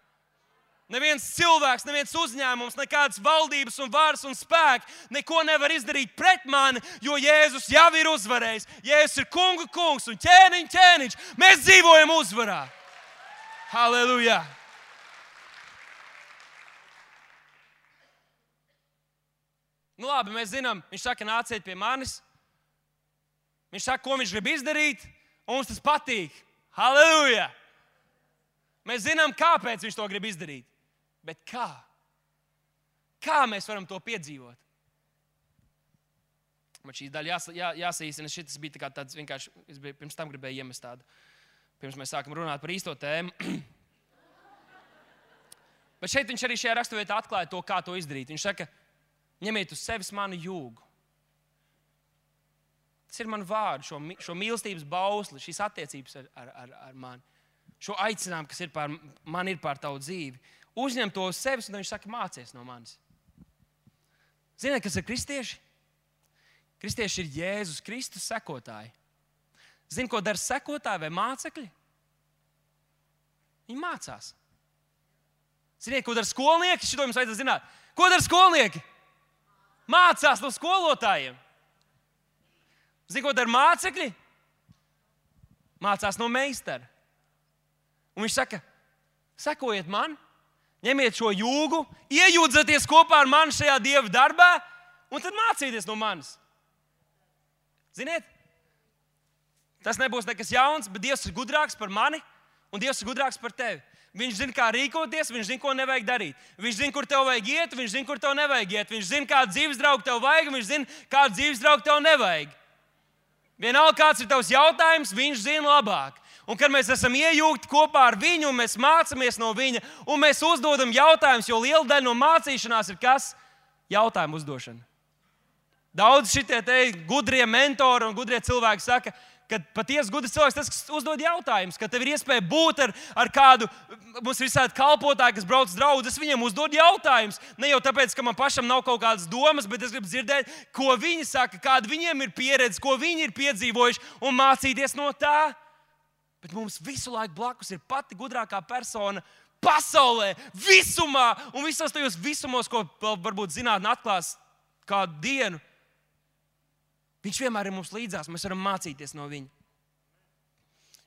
[SPEAKER 1] Neviens cilvēks, neviens uzņēmums, nekādas valdības un varas un spēki neko nevar izdarīt pret mani, jo Jēzus jau ir uzvarējis. Jēzus ir kungu kungs un ķēniņ ķēniņš. Mēs dzīvojam uzvarā. Halleluja! Nu labi, mēs zinām, viņš saka, nāciet pie manis. Viņš saka, ko viņš grib izdarīt, un mums tas patīk. Halleluja! Mēs zinām, kāpēc viņš to grib izdarīt. Bet kā? Kā mēs varam to piedzīvot? Man šī daļa jās, jā, jāsaīsina. Šis bija tā kā tāds vienkārši, es biju, pirms tam gribēju iemest tādu. Pirms mēs sākam runāt par īsto tēmu. Bet šeit viņš arī šajā raksturvietā atklāja to, kā to izdarīt. Viņš saka, ņemiet uz sevis manu jūgu. Tas ir man vārdu, šo, šo mīlestības bausli, šīs attiecības ar, ar, ar, ar mani. Šo aicinājumu, kas ir pār, man ir pār tavu dzīvi. Uzņem to uz sevis, un viņš saka, mācies no manis. Ziniet, kas ir kristieši? Kristieši ir Jēzus Kristus sekotāji. Zini, ko dara sekotāji vai mācekļi? Viņi mācās. Ziniet, ko dara skolnieki? Šito jums vajadzētu zināt. Ko dara skolnieki? Mācās no skolotājiem. Ziniet, ko dara mācekļi? Mācās no meistara. Un viņš saka, sekojiet man, ņemiet šo jūgu, iejūdzieties kopā ar mani šajā Dieva darbā, un tad mācieties no manis. Ziniet, tas nebūs nekas jauns, bet Dievs ir gudrāks par mani, un Dievs ir gudrāks par tevi. Viņš zina, kā rīkoties, viņš zina, ko nevajag darīt. Viņš zina, kur tev vajag iet, viņš zina, kur tev nevajag iet. Viņš zina, kādu dzīves draugu tev vajag, viņš zina, kādu dzīves draugu tev nevajag. Vienalga, kāds ir tavs jautājums, viņš zina labāk. Un kad mēs esam iejūgti kopā ar viņu, un mēs mācāmies no viņa, un mēs uzdodam jautājumus, jo liela daļa no mācīšanās ir kas? Jautājumu uzdošana. Daudz šitie te gudrie mentori un gudrie cilvēki saka, ka patiesi gudrs cilvēks tas, kas uzdod jautājumus, ka tev ir iespēja būt ar, ar kādu, mums ir visādi kalpotāji, kas brauc draudzes, viņiem uzdod jautājumus. Ne jau tāpēc, ka man pašam nav kaut kādas domas, bet es gribu dzirdēt, ko viņi saka, kāda viņiem ir pieredze, ko viņi ir piedzīvojuši un mācīties no tā. Bet mums visu laiku blakus ir pati gudrākā persona pasaulē, visumā un visos tajos visumos, ko varbūt zinātne atklās kādu dienu. Viņš vienmēr ir mums līdzās, mēs varam mācīties no viņa.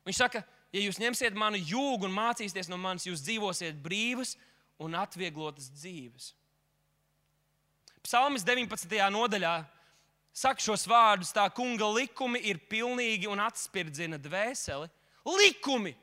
[SPEAKER 1] Viņš saka, ja jūs ņemsiet manu jūgu un mācīsieties no manis, jūs dzīvosiet brīvas un atvieglotas dzīves. Psalmis deviņpadsmitajā nodaļā saka šos vārdus, tā kunga likumi ir pilnīgi un atspirdzina dvēseli. Likumi!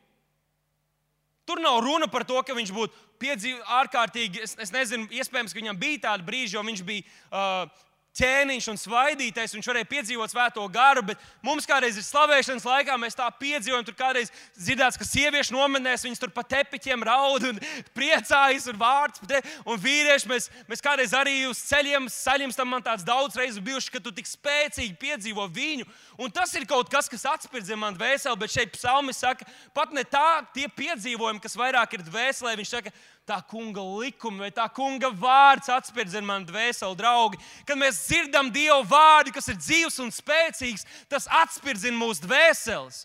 [SPEAKER 1] Tur nav runa par to, ka viņš būtu piedzīvojis ārkārtīgi, es, es nezinu, iespējams, ka viņam bija tāda brīža, jo viņš bija uh, ķēniņš un svaidītais, viņš varēja piedzīvot svēto garu, bet mums kādreiz ir slavēšanas laikā, mēs tā piedzīvojam, tur kādreiz dzirdēts, ka sieviešu nometnēs viņas tur pa tepiķiem raud un priecājas un vārds, un vīrieši, mēs, mēs kādreiz arī uz ceļiem, ceļiem tam man tāds daudz reizes bijuši, ka tu tik spēcīgi piedzīvo viņu, un tas ir kaut kas, kas atspirdzina man dvēseli, bet šeit psalmis saka, pat ne tā tie piedzīvojumi, kas vairāk ir dvēselē, viņš saka, tā kunga likumi vai tā kunga vārds atspirdzina man dvēseli, draugi. Kad mēs dzirdam Dieva vārdu, kas ir dzīvs un spēcīgs, tas atspirdzina mūsu dvēseles.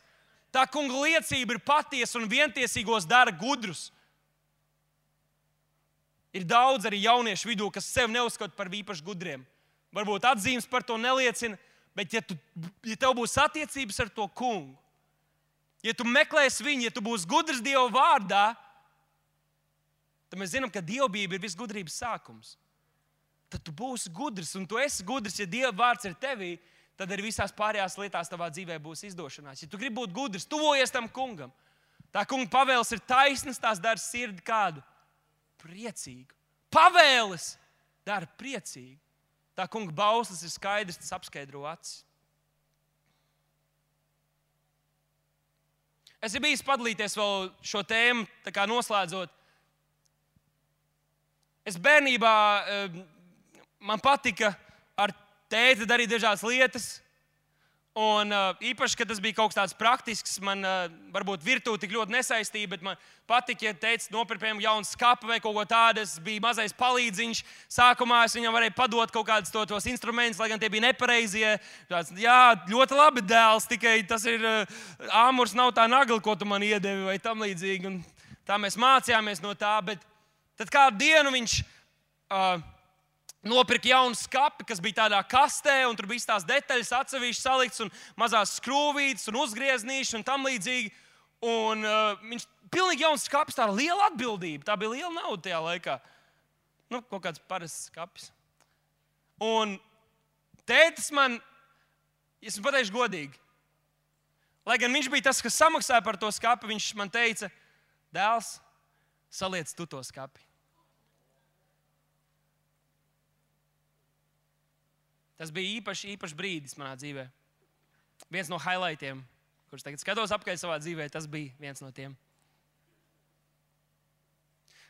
[SPEAKER 1] Tā kunga liecība ir patiesa un vientiesīgos dara gudrus. Ir daudz arī jauniešu vidū, kas sevi neuzskata par īpaši gudriem. Varbūt atzīmes par to neliecina, bet ja, tu, ja tev būs attiecības ar to kungu, ja tu meklēsi viņu, ja tu būsi gudrs Dieva vārdā, tad mēs zinām, ka dievbijība ir visgudrības sākums. Tad tu būsi gudrs, un tu esi gudrs, ja Dieva vārds ir tevī, tad arī visās pārējās lietās tavā dzīvē būs izdošanās. Ja tu gribi būt gudrs, tuvojies tam kungam. Tā kunga pavēles ir taisnas, tās dara sirdi kādu? Priecīgu. Pavēles dara priecīgu. Tā kunga bauslis ir skaidrs, tas apskaidro acis. Es ir bijis padalīties vēl šo tēmu, tā kā noslēdzot. Es bērnībā, man patika ar tēti darīt dažādas lietas, un īpaši, kad tas bija kaut kas tāds praktisks, man varbūt virtuve tik ļoti nesaistīja, bet man patika, ja tētis nopirka jaunu skapu vai kaut ko tādu, es biju mazais palīdziņš. Sākumā es viņam varēju padot kaut kādus to, tos instrumentus, lai gan tie bija nepareizie. Tāds, jā, ļoti labi dēls, tikai tas ir āmurs, nav tā nagla, ko tu man iedevi vai tam līdzīgi. Un tā mēs mācījāmies no tā, bet tad kādu dienu viņš uh, nopirka jaunu skapi, kas bija tādā kastē, un tur bija tās detaļas atsevišķi salikts, un mazās skrūvītes, un uzgrieznīši, un tam līdzīgi. Un uh, viņš pilnīgi jauns skapis, tā liela atbildība. Tā bija liela nauda tajā laikā. Nu, kaut kāds parasts skapis. Un tētis man, es pateikšu godīgi, lai gan viņš bija tas, kas samaksāja par to skapi, viņš man teica, dēls, saliec tu to skapi. Tas bija īpaši, īpaši brīdis manā dzīvē. Viens no highlightiem, kurus tagad skatos apkārt savā dzīvē, tas bija viens no tiem.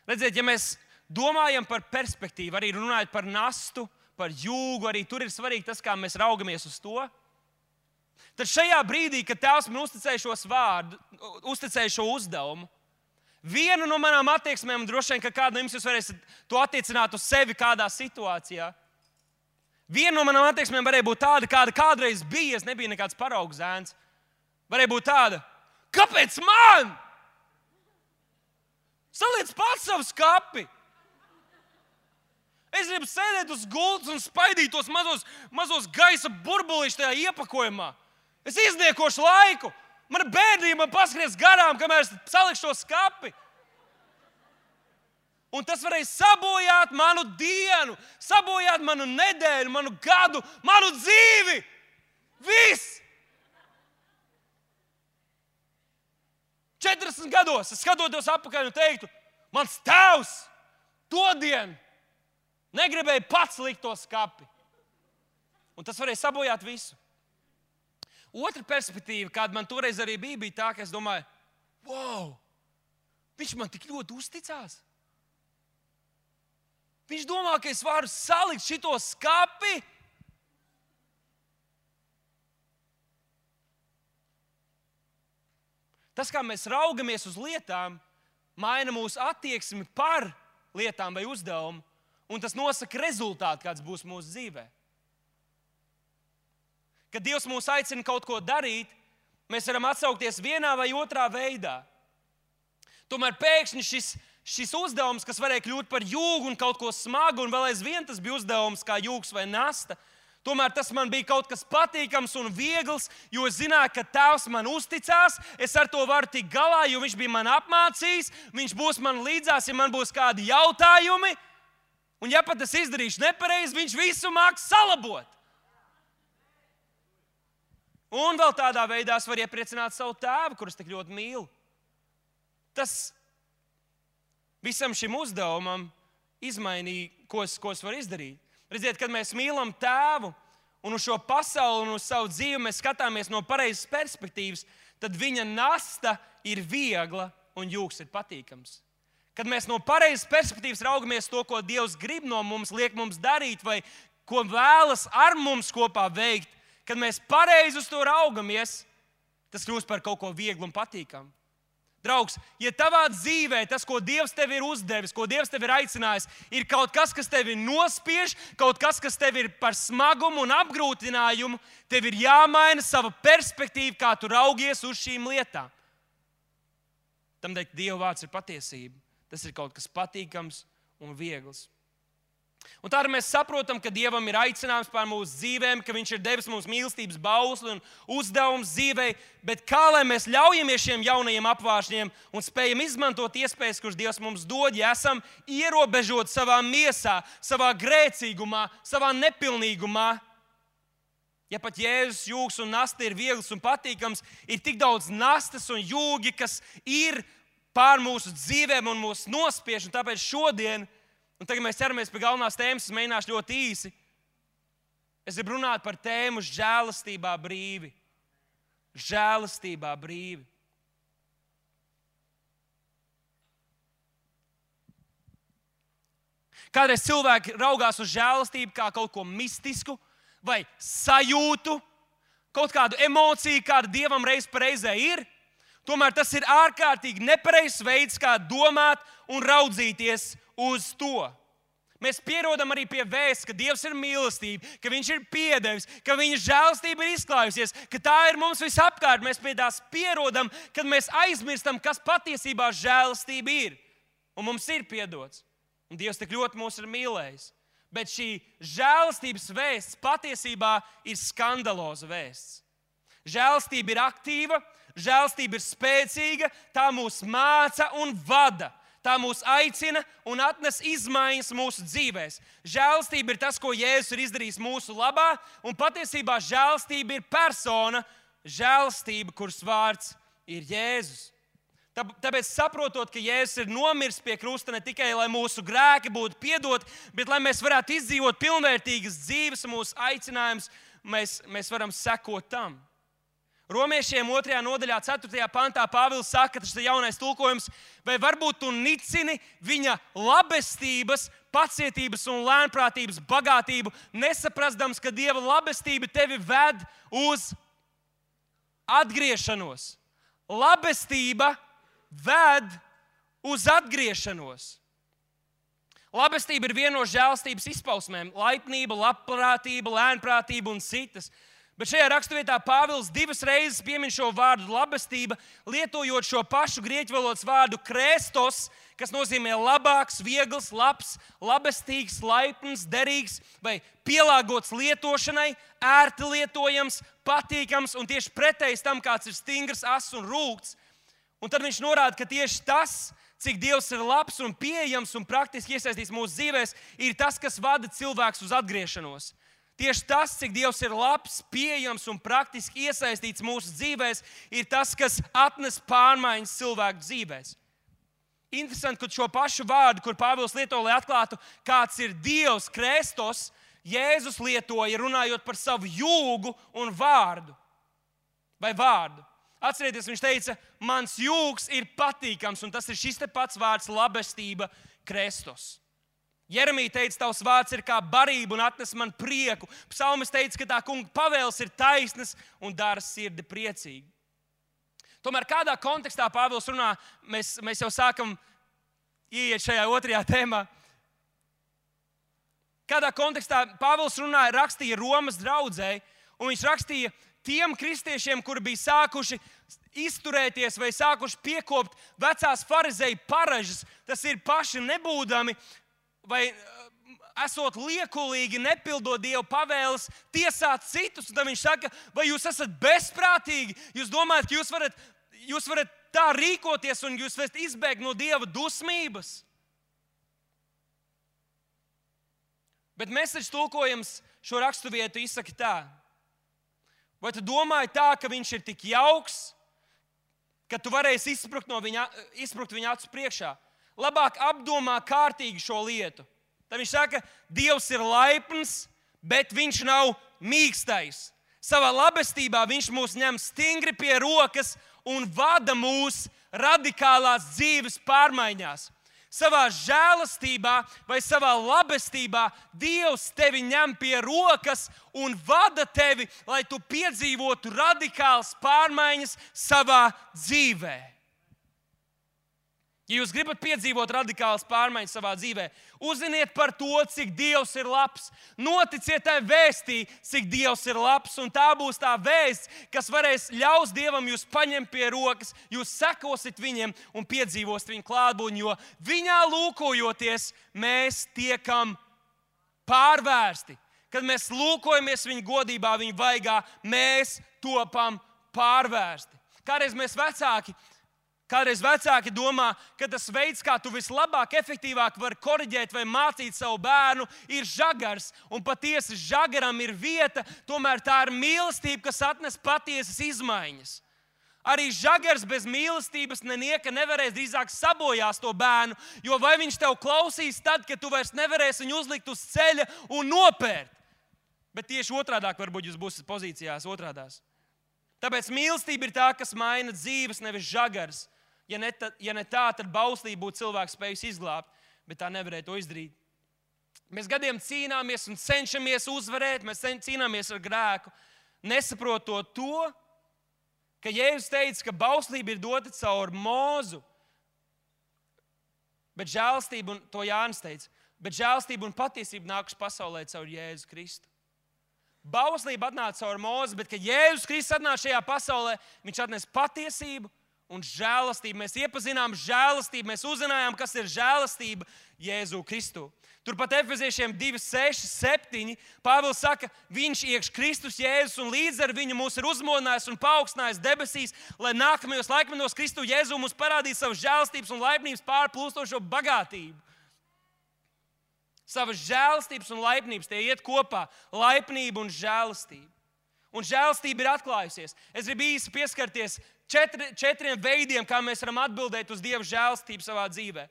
[SPEAKER 1] Redziet, ja mēs domājam par perspektīvu, arī runājot par nastu, par jūgu, arī tur ir svarīgi tas, kā mēs raugamies uz to. Tad šajā brīdī, kad Tēvs man uzticēja šos vārdu, uzticēja šo uzdevumu, viena no manām attieksmēm, droši vien, ka kāda no jums jūs varēsiet to attiecināt uz sevi kādā situācijā. Viena no manām attieksmēm varēja būt tāda, kāda kādreiz bija, es nebiju nekāds paraugu zēns. Varēja būt tāda, kāpēc man? Saliec pats savu skapi. Es gribu sēdēt uz gultas un spaidīt tos mazos, mazos gaisa burbulīšus tajā iepakojumā. Es izniekošu laiku. Mana bērnība man paskries garām, kamēr es salikšu to skapi. Un tas varēja sabojāt manu dienu, sabojāt manu nedēļu, manu gadu, manu dzīvi. Viss! četrdesmit gados es skatotos atpakaļ un teiktu, mans tēvs todien negribēja pats likt to skapi. Un tas varēja sabojāt visu. Otra perspektīva, kāda man toreiz arī bija, bija tā, ka es domāju, wow, viņš man tik ļoti uzticās. Viņš domā, ka es varu salikt šito skapi. Tas, kā mēs raugamies uz lietām, maina mūsu attieksmi par lietām vai uzdevumu, un tas nosaka rezultātu, kāds būs mūsu dzīvē. Kad Dievs mūs aicina kaut ko darīt, mēs varam atsaukties vienā vai otrā veidā. Tomēr pēkšņi šis, šis uzdevums, kas varēja kļūt par jūgu un kaut ko smagu, un vēl aizvien tas bija uzdevums kā jūgs vai nasta, tomēr tas man bija kaut kas patīkams un viegls, jo es zināju, ka Tēvs man uzticās, es ar to varu tikt galā, jo viņš bija man apmācījis, viņš būs man līdzās, ja man būs kādi jautājumi, un ja pat es izdarīšu nepareizi, viņš visu māks salabot. Un vēl tādā veidā es varu iepriecināt savu tēvu, kurus tik ļoti mīlu. Tas visam šim uzdevumam izmainīja, ko es, ko es varu izdarīt. Redziet, kad mēs mīlam tēvu un uz šo pasauli un uz savu dzīvi mēs skatāmies no pareizas perspektīvas, tad viņa nasta ir viegla un jūgs ir patīkams. Kad mēs no pareizas perspektīvas raugamies to, ko Dievs grib no mums, liek mums darīt vai ko vēlas ar mums kopā veikt, kad mēs pareizi uz to raugamies, tas kļūst par kaut ko vieglu un patīkamu. Draugs, ja tavā dzīvē tas, ko Dievs tev ir uzdevis, ko Dievs tev ir aicinājis, ir kaut kas, kas tevi nospiež, kaut kas, kas tev ir par smagumu un apgrūtinājumu, tev ir jāmaina sava perspektīva, kā tu raugies uz šīm lietām. Tamdēļ Dieva vārds ir patiesība. Tas ir kaut kas patīkams un viegls. Un tādā mēs saprotam, ka Dievam ir aicinājums pār mūsu dzīvēm, ka Viņš ir devis mums mīlestības bausli un uzdevums dzīvei, bet kā lai mēs ļaujamies šiem jaunajiem apvāršņiem un spējam izmantot iespējas, kuras Dievs mums dod, ja esam ierobežoti savā miesā, savā grēcīgumā, savā nepilnīgumā. Ja pat Jēzus jūgs un nasta ir viegls un patīkams, ir tik daudz nastas un jūgi, kas ir pār mūsu dzīvēm un mūs nospiež, un tāpēc šodien, un tagad mēs ķeramies pie galvenās tēmas, es mēģināšu ļoti īsi. Es gribu runāt par tēmu žēlastībā brīvi. Žēlastībā brīvi. Kādreiz cilvēki raugās uz žēlastību kā kaut ko mistisku vai sajūtu, kaut kādu emociju, kāda Dievam reiz pa reizē ir. Tomēr tas ir ārkārtīgi nepareizs veids, kā domāt un raudzīties uz to. Mēs pierodam arī pie vēsts, ka Dievs ir mīlestība, ka Viņš ir piedevis, ka Viņa žēlastība ir izklājusies, ka tā ir mums visapkārt. Mēs pie tās pierodam, kad mēs aizmirstam, kas patiesībā žēlastība ir. Un mums ir piedots. Un Dievs tik ļoti mūs ir mīlējis. Bet šī žēlastības vēsts patiesībā ir skandaloza vēsts. Žēlastība ir aktīva, žēlastība ir spēcīga, tā mūs māca un vada. Tā mūs aicina un atnes izmaiņas mūsu dzīvēs. Žēlastība ir tas, ko Jēzus ir izdarījis mūsu labā, un patiesībā žēlastība ir persona, žēlastība, kuras vārds ir Jēzus. Tāpēc saprotot, ka Jēzus ir nomiris pie krusta ne tikai, lai mūsu grēki būtu piedoti, bet lai mēs varētu izdzīvot pilnvērtīgas dzīves, mūsu aicinājums, mēs, mēs varam sekot tam. Romiešiem otrajā nodaļā, ceturtajā pantā Pāvils saka, tas ir jaunais tulkojums, vai varbūt tu nicini viņa labestības, pacietības un lēnprātības bagātību, nesaprastams, ka Dieva labestība tevi ved uz atgriešanos. Labestība ved uz atgriešanos. Labestība ir viena no žēlastības izpausmēm. Laipnība, labprātība, lēnprātība un citas. Bet šajā raksturvietā Pāvils divas reizes piemin šo vārdu labestība, lietojot šo pašu grieķu valodas vārdu krestos, kas nozīmē labāks, viegls, labs, labestīgs, laipns, derīgs vai pielāgots lietošanai, ērti lietojams, patīkams un tieši pretējs tam, kāds ir stingrs, ass un rūgts. Un tad viņš norāda, ka tieši tas, cik Dievs ir labs un pieejams un praktiski iesaistīts mūsu dzīvēs, ir tas, kas vada cilvēks uz atgriešanos. Tieši tas, cik Dievs ir labs, pieejams un praktiski iesaistīts mūsu dzīvēs, ir tas, kas atnes pārmaiņas cilvēku dzīvēs. Interesanti, ka šo pašu vārdu, kur Pāvils lieto, lai atklātu, kāds ir Dievs, Kristus, Jēzus lietoja, runājot par savu jūgu un vārdu. Vai vārdu. Atcerieties, viņš teica, mans jūgs ir patīkams, un tas ir šis te pats vārds labestība, Kristus. Jeremija teica, tavs vārds ir kā barība un atnes man prieku. Psalmis teica, ka tā kunga pavēles ir taisnas un dara sirdi priecīgi. Tomēr kādā kontekstā Pāvils runā, mēs, mēs jau sākam ieiet šajā otrajā tēmā. Kādā kontekstā Pāvils runāja, rakstīja Romas draudzei, un viņš rakstīja tiem kristiešiem, kuri bija sākuši izturēties vai sākuši piekopt vecās farizeju paražas, tas ir paši nebūdami vai esot liekulīgi, nepildot Dieva pavēles, tiesāt citus. Un tad viņš saka, vai jūs esat bezprātīgi? Jūs domājat, ka jūs varat, jūs varat tā rīkoties un jūs varat izbēgt no Dieva dusmības? Bet Mēseģes tulkojums šo raksturvietu izsaka tā. Vai tu domāji tā, ka viņš ir tik jauks, ka tu varēsi izsprukt, no viņa, izsprukt viņa acu priekšā? Labāk apdomā kārtīgi šo lietu. Tad viņš saka, Dievs ir laipns, bet viņš nav mīkstais. Savā labestībā viņš mūs ņem stingri pie rokas un vada mūs radikālās dzīves pārmaiņās. Savā žēlastībā vai savā labestībā Dievs tevi ņem pie rokas un vada tevi, lai tu piedzīvotu radikālas pārmaiņas savā dzīvē. Ja jūs gribat piedzīvot radikālas pārmaiņas savā dzīvē, uzziniet par to, cik Dievs ir labs. Noticiet tai vēstī, cik Dievs ir labs, un tā būs tā vēsts, kas varēs ļaus Dievam jūs paņemt pie rokas, jūs sekosit viņiem un piedzīvosit viņu klātbūtni, jo viņā lūkojoties, mēs tiekam pārvērsti. Kad mēs lūkojamies viņa godībā, viņa vaigā, mēs topam pārvērsti. Kādreiz mēs vecāki Kādreiz vecāki domā, ka tas veids, kā tu vislabāk, efektīvāk vari koriģēt vai mācīt savu bērnu, ir žagars. Un patiesi žagaram ir vieta, tomēr tā ir mīlestība, kas atnes patiesas izmaiņas. Arī žagars bez mīlestības nenieka nevarēs drīzāk sabojās to bērnu, jo vai viņš tev klausīs tad, kad tu vairs nevarēsi viņu uzlikt uz ceļa un nopērt. Bet tieši otrādāk varbūt jūs būsiet pozīcijās otrādās. Tāpēc mīlestība ir tā, kas maina dzīves, nevis žagars. Ja ne, ta, ja ne tā, tad bauslība būtu cilvēks spējis izglābt, bet tā nevarēja to izdarīt. Mēs gadiem cīnāmies un cenšamies uzvarēt, mēs cīnāmies ar grēku, nesaprotot to, ka Jēzus teica, ka bauslība ir dota caur Mūzu, bet žēlastība, un to Jānis teica, bet žēlastība un patiesība nākuši pasaulē caur Jēzu Kristu. Bauslība atnāca caur Mūzu, bet kad Jēzus Kristus atnāca šajā pasaulē, viņš atnes patiesību un žēlastību. Mēs iepazinām žēlastību, mēs uzzinājām, kas ir žēlastība Jēzu Kristu. Turpat Efeziešiem divi, seši, septiņi Pāvils saka, viņš iekš Kristus Jēzus un līdz ar viņu mūs ir uzmodinājis un paaugstinājis debesīs, lai nākamajos laikmetos Kristu Jēzu mums parādītu savu žēlastības un laipnības pārplūstošo bagātību. Savas žēlastības un laipnības, tie iet kopā, laipnība un žēlastība. Un žēlastība ir atklājusies. Es gribu īsi pieskarties četri, četriem veidiem, kā mēs varam atbildēt uz Dieva žēlastību savā dzīvē.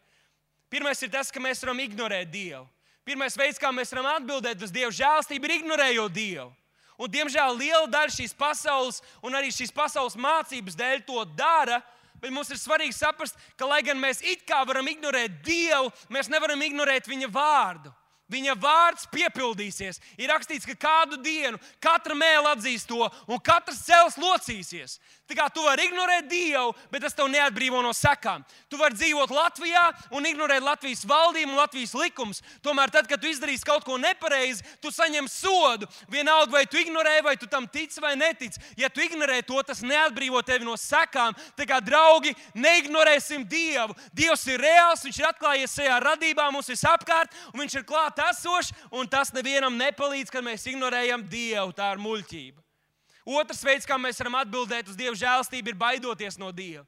[SPEAKER 1] Pirmais ir tas, ka mēs varam ignorēt Dievu. Pirmais veids, kā mēs varam atbildēt uz Dieva žēlastību, ir ignorējot Dievu. Un, diemžēl, liela daļa šīs pasaules un arī šīs pasaules mācības dēļ to dara, bet mums ir svarīgi saprast, ka, lai gan mēs it kā varam ignorēt Dievu, mēs nevaram ignorēt viņa vārdu. Viņa vārds piepildīsies. Ir rakstīts, ka kādu dienu katra mēle atzīs to un katrs cels locīsies. Tā kā tu vari ignorēt Dievu, bet tas tev neatbrīvo no sekām. Tu vari dzīvot Latvijā un ignorēt Latvijas valdību un Latvijas likumus. Tomēr tad, kad tu izdarīsi kaut ko nepareizi, tu saņem sodu. Vienalga, vai tu ignorē, vai tu tam tici vai netici. Ja tu ignorē to, tas neatbrīvo tevi no sekām. Tā kā, draugi, neignorēsim Dievu. Dievs ir reāls, viņš ir atklājies šajā radībā mums visapkārt, un viņš ir klāt esošs, un tas nevienam nepalīdz, kad mēs ignorējam Dievu. Tā ir muļķība. Otrs veids, kā mēs varam atbildēt uz Dieva žēlstību, ir baidoties no Dieva.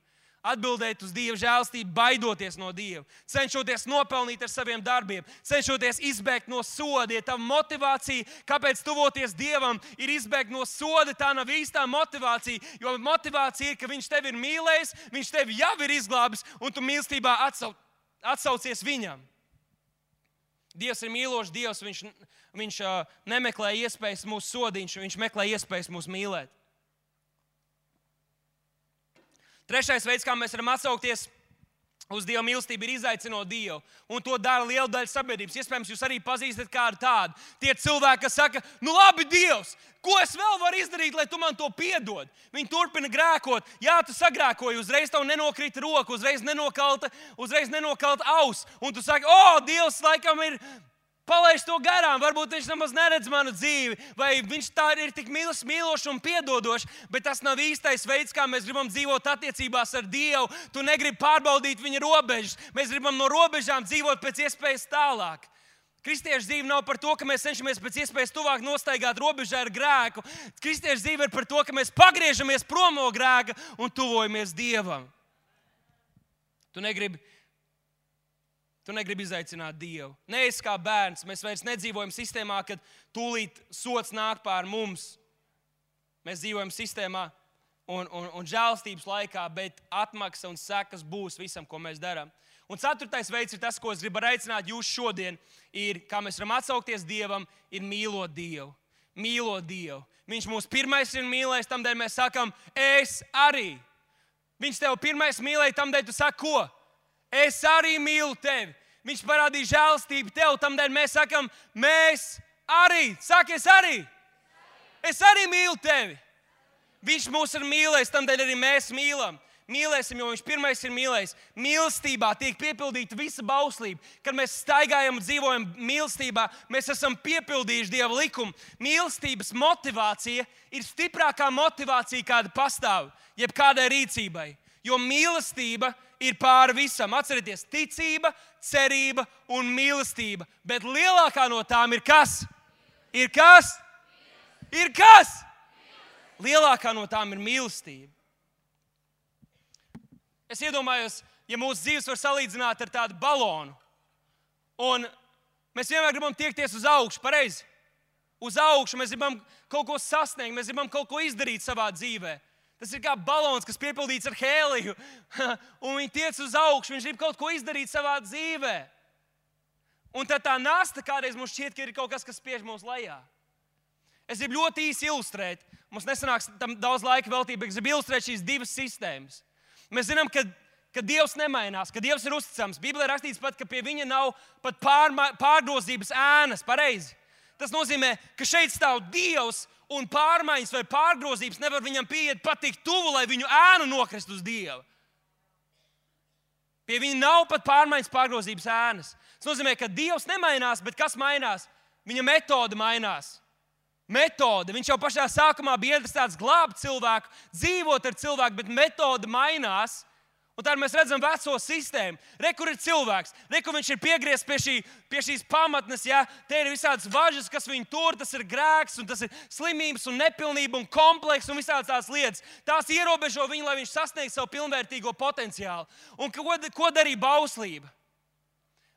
[SPEAKER 1] Atbildēt uz Dieva žēlstību, baidoties no Dieva. Cenšoties nopelnīt ar saviem darbiem, cenšoties izbēgt no soda. Ja tava motivācija, kāpēc tuvoties Dievam, ir izbēgt no soda, tā nav īstā motivācija. Jo motivācija ir, ka Viņš tevi ir mīlējis, Viņš tevi jau ir izglābis, un tu mīlestībā atsau, atsaucies Viņam. Dievs ir mīlošs Dievs, viņš, viņš uh, nemeklē iespējas mūs sodīt, viņš meklē iespējas mūs mīlēt. Trešais veids, kā mēs varam atsaukties uz Dieva mīlestību, ir izaicinot Dievu. Un to dara liela daļa sabiedrības. Iespējams, jūs arī pazīstat kādu tādu. Tie cilvēki, kas saka, nu labi, Dievs, ko es vēl varu izdarīt, lai tu man to piedod? Viņi turpina grēkot. Jā, tu sagrēkoji, uzreiz tev nenokrita roka, uzreiz nenokalta, uzreiz nenokalta auss. Un tu saki, o, Dievs laikam ir palaiž to garām, varbūt viņš nemaz neredz manu dzīvi, vai viņš tā ir tik mīlis, mīlošs un piedodošs, bet tas nav īstais veids, kā mēs gribam dzīvot attiecībās ar Dievu. Tu negribi pārbaudīt viņa robežas. Mēs gribam no robežām dzīvot pēc iespējas tālāk. Kristiešu dzīve nav par to, ka mēs cenšamies pēc iespējas tuvāk nostaigāt robežā ar grēku. Kristiešu dzīve ir par to, ka mēs pagriežamies prom no grēka un tuvojamies Dievam. Tu negribi Tu negribi izaicināt Dievu. Neesi kā bērns. Mēs vairs nedzīvojam sistēmā, kad tūlīt sots nāk pār mums. Mēs dzīvojam sistēmā un, un, un žēlstības laikā, bet atmaksa un sekas būs visam, ko mēs darām. Un ceturtais veids ir tas, ko es gribu aicināt jūs šodien, ir, kā mēs varam atsaukties Dievam, ir mīlot Dievu. Mīlot Dievu. Viņš mūs pirmais ir mīlējis, tamdēļ mēs sakam, es arī. Viņš tev pirmais mīlēja, tamdēļ tu saki, ko? Es arī mīlu tevi. Viņš parādīja žēlstību tev, tamdēļ mēs sakam, mēs arī. Saki, es arī. Es arī mīlu tevi. Viņš mūs ir mīlējis, tamdēļ arī mēs mīlam. Mīlēsim, jo viņš pirmais ir mīlējis. Mīlestībā tiek piepildīta visa bauslība. Kad mēs staigājam un dzīvojam mīlestībā, mēs esam piepildījuši Dieva likumu. Mīlestības motivācija ir stiprākā motivācija, kāda pastāv jebkādai rīcībai. Jo mīlestība ir pāri visam. Atcerieties, ticība, cerība un mīlestība. Bet lielākā no tām ir kas? Ir kas? Ir kas? Lielākā no tām ir mīlestība. Es iedomājos, ja mūsu dzīves var salīdzināt ar tādu balonu. Un mēs vienmēr gribam tiekties uz augšu, pareizi? Uz augšu mēs gribam kaut ko sasniegt, mēs gribam kaut ko izdarīt savā dzīvē. Tas ir kā balons, kas piepildīts ar hēliju, un viņi tiec uz augšu, viņš grib kaut ko izdarīt savā dzīvē. Un tad tā nasta kādreiz mums šķiet, ka ir kaut kas, kas spiež mūs lejā. Es gribu ļoti īsi ilustrēt, mums nesanāks tam daudz laika veltīt, bet es gribu ilustrēt šīs divas sistēmas. Mēs zinām, ka, ka Dievs nemainās, ka Dievs ir uzticams. Bībelē rakstīts pat, ka pie viņa nav pat pārma, pārgrozības ēnas, pareizi. Tas nozīmē, ka šeit stāv Dievs, un pārmaiņas vai pārgrozības nevar viņam pieiet pat tik tuvu, lai viņu ēnu nokrist uz Dievu. Pie viņa nav pat pārmaiņas pārgrozības ēnas. Tas nozīmē, ka Dievs nemainās, bet kas mainās? Viņa metode mainās. Metode. Viņš jau pašā sākumā bija interesēts glābt cilvēku, dzīvot ar cilvēku, bet metode mainās. Un tad mēs redzam veco sistēmu. Re, kur ir cilvēks. Re, kur viņš ir piegriezts pie, šī, pie šīs pamatnes. Ja? Te ir visādas važas, kas viņu tur. Tas ir grēks, un tas ir slimības, un nepilnība, un kompleks, un visādas tās lietas. Tās ierobežo viņu, lai viņš sasniegtu savu pilnvērtīgo potenciālu. Un ko, ko darīja bauslība?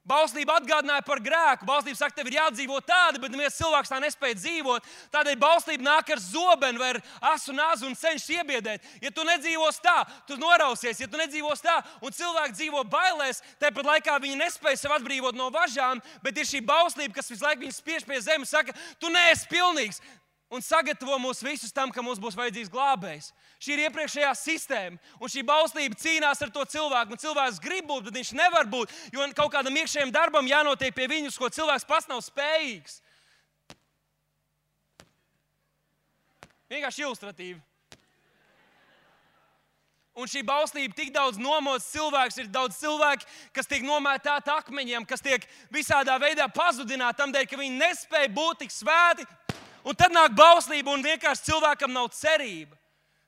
[SPEAKER 1] Bauslība atgādināja par grēku. Bauslība saka, tev ir jādzīvo tāda, bet neviens cilvēks tā nespēja dzīvot. Tādēļ bauslība nāk ar zobenu vai ar asu nazu un cenšas iebiedēt. Ja tu nedzīvos tā, tu norausies. Ja tu nedzīvos tā, un cilvēki dzīvo bailēs, tāpat laikā viņi nespēja sev atbrīvot no važām, bet ir šī bauslība, kas visu laiku viņus spiež pie zemes, saka, tu neesi pilnīgs. Un sagatavo mūs visus tam, ka mums būs vajadzīgs glābējs. Šī ir iepriekšējā sistēma, un šī bauslība cīnās ar to cilvēku. Un cilvēks grib būt, bet viņš nevar būt, jo kaut kādam iekšējam darbam jānotiek pie viņus, ko cilvēks pats nav spējīgs. Vienkārši ilustratīvi. Un šī bauslība tik daudz nomoc cilvēks, ir daudz cilvēku, kas tiek nomētāti akmeņiem, kas tiek visādā veidā pazudināti tam dēļ, ka viņi nespēja būt tik svēti. Un tad nāk bauslība un vienkārši cilvēkam nav cerība.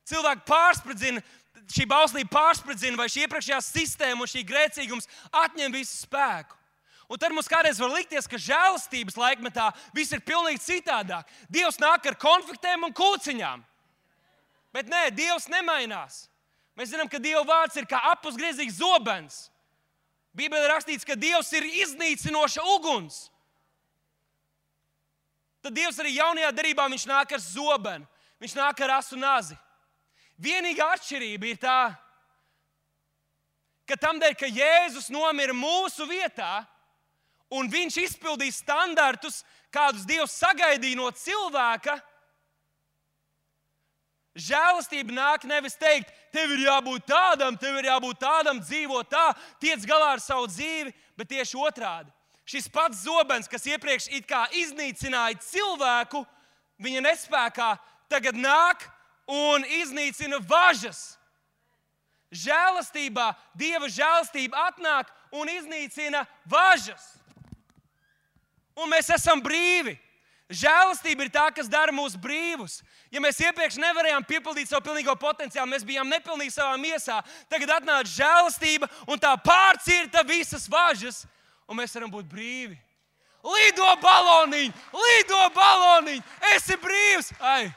[SPEAKER 1] Cilvēki pārspridzina, šī bauslība pārspridzina, vai šī iepriekšējā sistēma un šī grēcīgums atņem visu spēku. Un tad mums kādreiz var likties, ka žēlastības laikmetā viss ir pilnīgi citādāk. Dievs nāk ar konfliktēm un kūciņām. Bet nē, Dievs nemainās. Mēs zinām, ka Dieva vārds ir kā apusgriezīgs zobens. Bībelē rakstīts, ka Dievs ir iznīcinoša uguns. Tad Dievs arī jaunajā derībā viņš nāk ar zobenu. Viņš nāk ar asu nazi. Vienīgā atšķirība ir tā, ka tamdēļ, ka Jēzus nomira mūsu vietā un viņš izpildīja standartus, kādus Dievs sagaidīja no cilvēka, žēlastība nāk nevis teikt, tev ir jābūt tādam, tev ir jābūt tādam, dzīvo tā, tiec galā ar savu dzīvi, bet tieši otrādi. Šis pats zobens, kas iepriekš it kā iznīcināja cilvēku, viņa nespēkā tagad nāk un iznīcina važas. Žēlastībā, Dieva žēlastība atnāk un iznīcina važas. Un mēs esam brīvi. Žēlastība ir tā, kas dara mūs brīvus. Ja mēs iepriekš nevarējām piepildīt savu pilnīgo potenciālu, mēs bijām nepilnīgi savā miesā, tagad atnāk žēlastība un tā pārcirta visas važas, un mēs varam būt brīvi. Lido baloniņ! Lido baloniņ! Esi brīvs! Ai,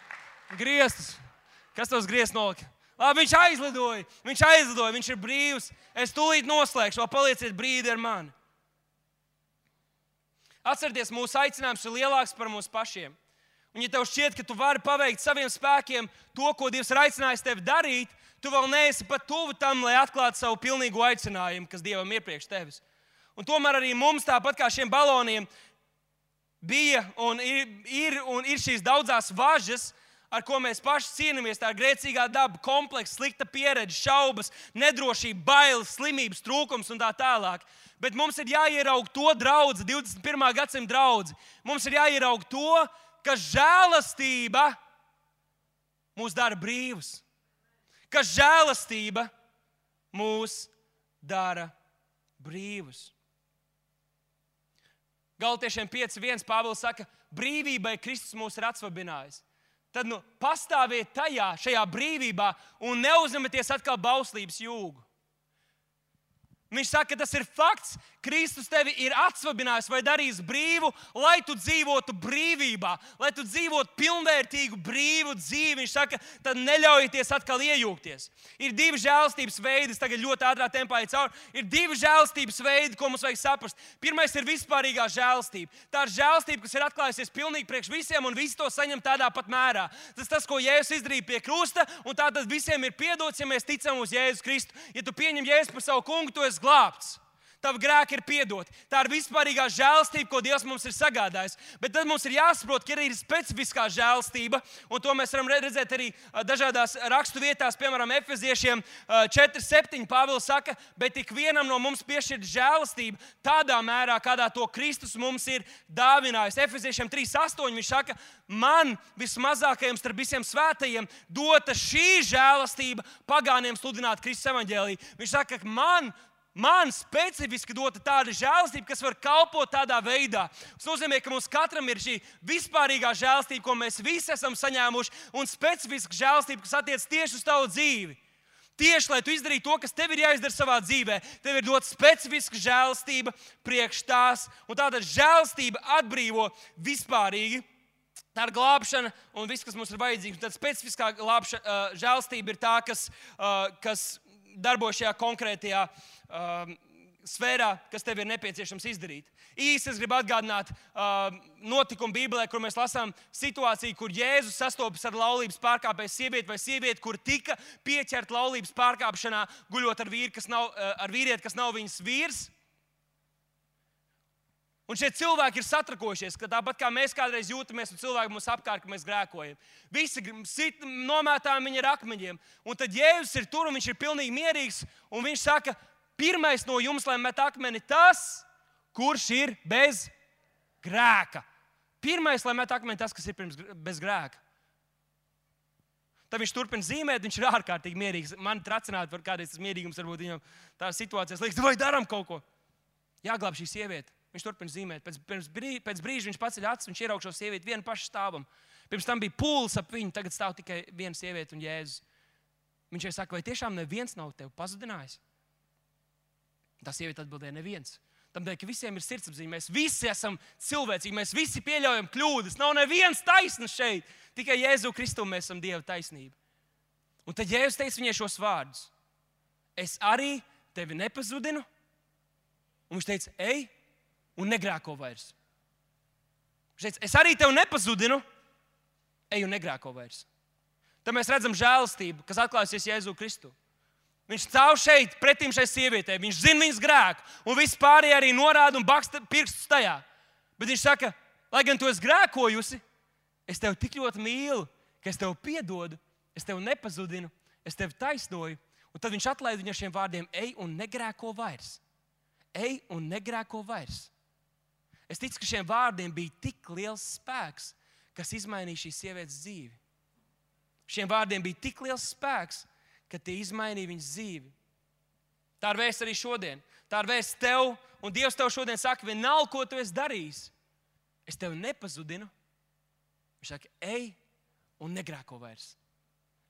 [SPEAKER 1] griestus! Kas tos griest nolika? Labi, viņš aizlidoja, viņš aizlidoja, viņš ir brīvs. Es tūlīt noslēgšu, vēl palieciet brīdi ar mani. Atcerieties, mūsu aicinājums ir lielāks par mums pašiem. Un ja tev šķiet, ka tu vari paveikt saviem spēkiem to, ko Dievs ir aicinājis tevi darīt, tu vēl neesi pat tuvu tam, lai atklātu savu pilnīgo aicinājumu, kas Dievam ir priekš tevis. Un tomēr arī mums, tāpat kā šiem baloniem, bija un ir, ir, un ir šīs daudzās važas, ar ko mēs paši cīnāmies, tā ir grēcīgā daba, komplekss, slikta pieredze, šaubas, nedrošība, bailes, slimības, trūkums un tā tālāk. Bet mums ir jāieraug to draudzi, divdesmit pirmā gadsimta draudzi. Mums ir jāieraug to, ka žēlastība mūs dara brīvus. Ka žēlastība mūs dara brīvus. Galatiešiem pieci viens Pāvils saka, brīvībai Kristus mūs ir atsvabinājis. Tad nu, pastāviet tajā, šajā brīvībā un neuzņemieties atkal bauslības jūgu. Viņš saka, ka tas ir fakts. Kristus tevi ir atsvabinājis vai darījis brīvu, lai tu dzīvotu brīvībā, lai tu dzīvotu pilnvērtīgu, brīvu dzīvi. Viņš saka, tad neļaujieties atkal iejūgties. Ir divi žēlastības veidi, es tagad ļoti ātrā tempā eju cauri. Ir divi žēlastības veidi, ko mums vajag saprast. Pirmais ir vispārīgā žēlastība. Tā ir žēlastība, kas ir atklājusies pilnīgi priekš visiem, un visi to saņem tādā pat mērā. Tas tas, ko Jēzus izdarīja pie krusta, un tā tad visiem ir piedots, ja mēs ticam uz Jēzus Kristu. Ja tu pieņem Jēzu par savu kungu, tu esi glābts. Tavi grēki ir piedoti. Tā ir vispārīgā žēlastība, ko Dievs mums ir sagādājis. Bet tad mums ir jāsaprot, ka ir specifiskā žēlastība, un to mēs varam redzēt arī dažādās rakstu vietās, piemēram, Efeziešiem četri septiņi Pāvils saka, bet ik vienam no mums piešķirt žēlastība tādā mērā, kādā to Kristus mums ir dāvinājis. Efeziešiem trīs astoņi viņš saka, man vismazākajiem starp visiem svētajiem dota šī žēlastība pagāniem sludināt Kristus evaņģēliju. Viņš saka, ka man Man specifiski dota tāda žēlastība, kas var kalpot tādā veidā. Tas nozīmē, ka mums katram ir šī vispārīgā žēlastība, ko mēs visi esam saņēmuši, un specifiska žēlastība, kas attiec tieši uz tavu dzīvi. Tieši, lai tu izdarītu to, kas tev ir jāizdara savā dzīvē, tev ir dota specifiska žēlastība priekš tās. Un tātad žēlastība atbrīvo vispārīgi. Tā ir glābšana un viss, kas mums ir vajadzīgs. Tad specifiskā glābša, uh, žēlastība ir tā, kas, uh, kas darbojas šajā konkrētajā uh, sfērā, kas tev ir nepieciešams izdarīt. Īsi es gribu atgādināt uh, notikumu Bībelē, kur mēs lasām situāciju, kur Jēzus sastopas ar laulības pārkāpēju sievieti vai sievieti, kur tika pieķerta laulības pārkāpšanā, guļot ar, vīri, kas nav, uh, ar vīrieti, kas nav viņas vīrs. Un šie cilvēki ir satrakojušies, ka tāpat kā mēs kādreiz jūtamies, un cilvēki mums apkārt, ka mēs grēkojam. Visi sit, nomētājam viņi ar akmeņiem. Un tad Jēzus ir tur, un viņš ir pilnīgi mierīgs, un viņš saka, pirmais no jums, lai met akmeni tas, kurš ir bez grēka. Pirmais, lai met akmeni tas, kas ir pirms, bez grēka. Tad viņš turpina zīmēt, viņš ir ārkārtīgi mierīgs. Man tracināt par kādreiz tas mierīgums, varbūt viņam tās situācijas liekas, vai daram kaut ko. Jāglāb šī sieviete. Viņš turpina zīmēt. Pēc, pēc, brīža, pēc brīža viņš paceļ acis, viņš ieraug šo sievieti vienu pašu stāvam. Pirms tam bija pūlis ap viņu, tagad stāv tikai viena sieviete un Jēzus. Viņš jau saka, vai tiešām neviens nav tevi pazudinājis? Tā sieviete atbildēja, neviens. Tādēļ, ka visiem ir sirdsapziņa, mēs visi esam cilvēcīgi, mēs visi pieļaujam kļūdas. Nav neviens taisns šeit, tikai Jēzu Kristu mēs esam Dieva taisnība. Un tad Jēzus teica viņai šos vārdus. Es arī tevi nepazudinu. Un viņš teica, ej un negrēko vairs. Viņš teica, es arī tevi nepazudinu, ej un negrēko vairs. Tad mēs redzam žēlastību, kas atklājusies Jēzu Kristu. Viņš stāv šeit, pretīm šai sievietei. Viņš zina viņas grēku. Un viss pārējie arī norāda un baksta pirkstus tajā. Bet viņš saka, lai gan tu esi grēkojusi, es tevi tik ļoti mīlu, ka es tevi piedodu, es tevi nepazudinu, es tevi taisnoju. Un tad viņš atlaid viņu ar šiem vārdiem, ej un negrēko vairs. Ej un negrēko vairs. Es ticu, ka šiem vārdiem bija tik liels spēks, kas izmainīja šīs sievietes dzīvi. Šiem vārdiem bija tik liels spēks, ka tie izmainīja viņas dzīvi. Tā ir vēsts arī šodien. Tā ir vēsts tev, un Dievs tev šodien saka, vienalga, ko tu esi darījis, es tevi nepazudinu. Viņš saka, ej un negrēko vairs.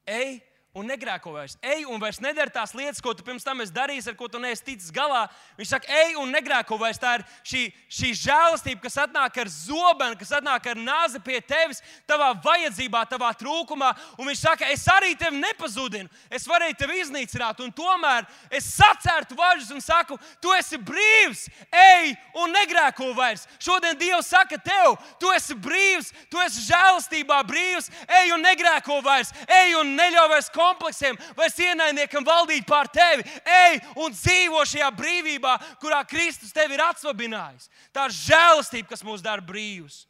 [SPEAKER 1] Ej un negrēko vairs. Ej un vairs nedari tās lietas, ko tu pirms tam esi darījis, ar ko tu neesi ticis galā. Viņš saka, ej un negrēko vairs. Tā ir šī, šī žēlastība, kas atnāk ar zobenu, kas atnāk ar nāzi pie tevis, tavā vajadzībā, tavā trūkumā. Un viņš saka, es arī tevi nepazudinu. Es varēju tevi iznīcināt, un tomēr es sacērtu važus un saku, tu esi brīvs, ej un negrēko vairs. Šodien Dievs saka tev, tu esi brīvs, tu esi žēlastībā brīvs, ej un negrēko vairs, ej un neļauj vairs kompleksiem, vairs ienaidniekam valdīt pār tevi. Ej un dzīvo šajā brīvībā, kurā Kristus tevi ir atsvabinājis. Tā ir žēlastība, kas mūs dara brīvus.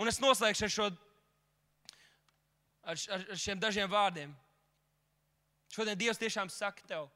[SPEAKER 1] Un es noslēgšu ar, šo, ar, ar, ar šiem dažiem vārdiem. Šodien Dievs tiešām saka tev,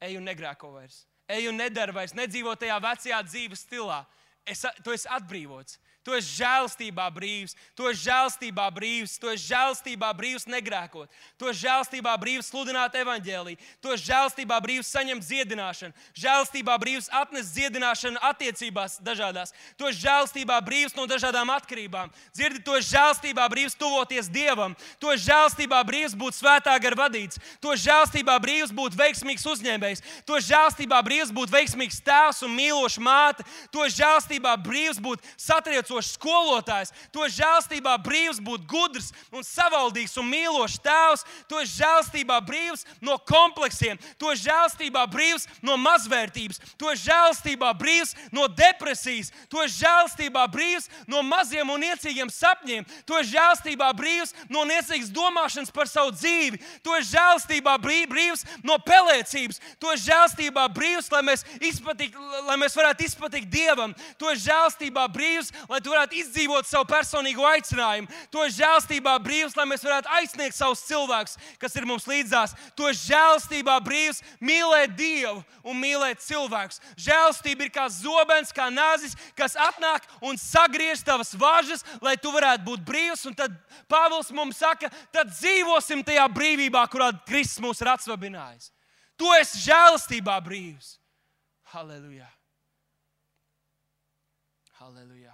[SPEAKER 1] ej un negrēko vairs. Ej un nedari vairs, nedzīvo tajā vecajā dzīves stilā. Es, tu esi atbrīvots. Tu esi žēlastībā brīvs, tu esi žēlastībā brīvs, tu esi žēlastībā brīvs negrēkot, tu esi žēlastībā brīvs sludināt evaņģēliju, tu esi žēlastībā brīvs saņemt dziedināšanu, žēlastībā brīvs atnest dziedināšanu attiecībās dažādās, tu esi žēlastībā brīvs no dažādām atkarībām, dzirdi, tu esi žēlastībā brīvs tuvoties Dievam, tu esi žēlastībā brīvs būt svētā gara vadīts, tu esi žēlastībā brīvs būt veiksmīgs uzņēmējs, tu esi žēlastībā brīvs būt veiksmīgs tēvs un mīloša māte, tu esi žēlastībā brīvs būt satriecošs skolotājs, tu esi žēlstībā brīvs būt gudrs un savaldīgs un mīlošs tēvs, tu esi žēlstībā brīvs no kompleksiem, tu esi žēlstībā brīvs no mazvērtības, tu esi žēlstībā brīvs no depresijas, tu esi žēlstībā brīvs no maziem un niecīgiem sapņiem, tu esi žēlstībā brīvs no niecīgas domāšanas par savu dzīvi, tu esi žēlstībā brīvs no pelēcības, tu esi žēlstībā brīvs, lai mēs, izpatik, lai mēs varētu izpatikt Dievam, tu esi žēlstībā brīvs, lai tu varētu izdzīvot savu personīgo aicinājumu. Tu esi žēlstībā brīvs, lai mēs varētu aizsniegt savus cilvēkus, kas ir mums līdzās. Tu esi žēlstībā brīvs mīlēt Dievu un mīlēt cilvēkus. Žēlstība ir kā zobens, kā nāzis, kas atnāk un sagriež tavas važas, lai tu varētu būt brīvs. Un tad Pāvils mums saka, tad dzīvosim tajā brīvībā, kurā Kristus mūs ir atsvabinājis. Tu esi žēlstībā brīvs. Halleluja. Halleluja.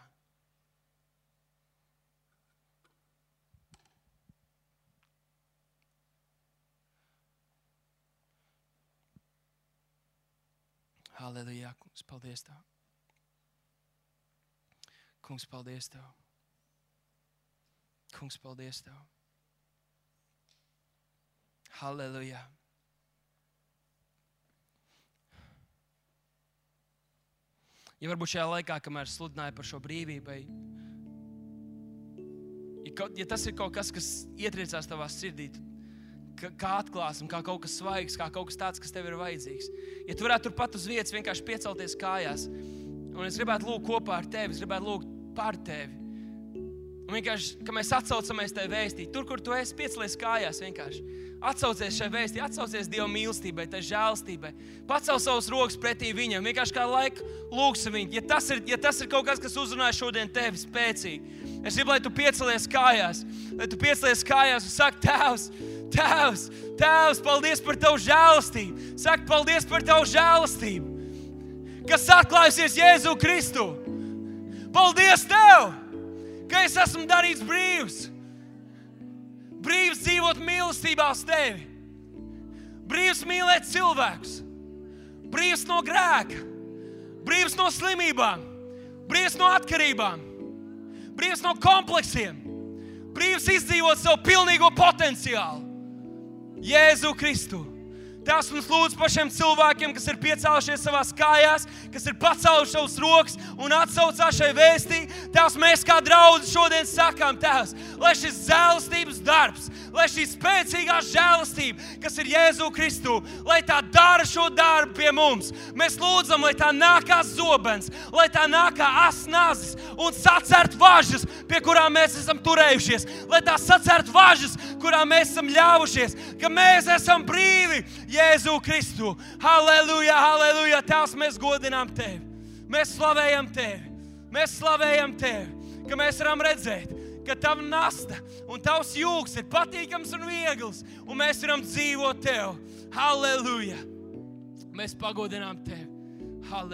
[SPEAKER 1] Halleluja, kungs, paldies Tev. Kungs, paldies Tev. Kungs, paldies Tev. Halleluja. Ja varbūt šajā laikā, kamēr sludināju par šo brīvību, ja, kaut, ja tas ir kaut kas, kas ietriecās tavā sirdī, kā atklāsme, kā kaut kas svaigs, kā kaut kas tāds, kas tev ir vajadzīgs. Ja tu varētu turpat uz vietas vienkārši piecelties kājās, un es gribētu lūgt kopā ar tevi, es gribētu lūgt par tevi. Un vienkārši, ka mēs atsaucamies tevi vēstīt, tur, kur tu esi, piecelies kājās vienkārši. Atsaucies šai vēstī, atsaucies Dieva mīlestībai, tai žēlstībai. Pacel savus rokas pretī viņam, vienkārši kā laiku lūgsi viņu. Ja tas ir, ja tas ir kaut kas, kas uzrunāja šodien tevi spēcīgi, es gribu, lai tu piecelies kājās, lai tu piecelies kājās un saki, Tēvs, Tēvs, Tēvs, paldies par tavu žēlastību. Saki, paldies par tavu žēlastību, kas atklājusies Jēzu Kristu. Paldies Tev, ka es esmu darīts brīvs. Brīvs dzīvot mīlestībā uz Tevi. Brīvs mīlēt cilvēkus. Brīvs no grēka. Brīvs no slimībām. Brīvs no atkarībām. Brīvs no kompleksiem. Brīvs izdzīvot savu pilnīgo potenciālu. Jēzu Kristu. Tās mums lūdz par šiem cilvēkiem, kas ir piecēlušies savās kājās, kas ir pacēluši savus rokas un atsaucās šai vēstī. Tās mēs kā draudzi šodien sakām, Tēvs, lai šis žēlastības darbs, lai šī spēcīgā žēlastība, kas ir Jēzu Kristu, lai tā dara šo darbu pie mums. Mēs lūdzam, lai tā nāk kā zobens, lai tā nāk kā asnazis un sacert važas, pie kurām mēs esam turējušies, lai tā sacert važas, kurām mēs esam ļāvušies, ka mēs esam brīvi. Jēzu Kristu. Halleluja, halleluja. Tēvs, mēs godinām Tevi. Mēs slavējam Tevi. Mēs slavējam Tevi, ka mēs varam redzēt, ka Tava nasta un Tavs jūgs ir patīkams un viegls, un mēs varam dzīvot Tev. Halleluja. Mēs pagodinām Tevi. Halleluja.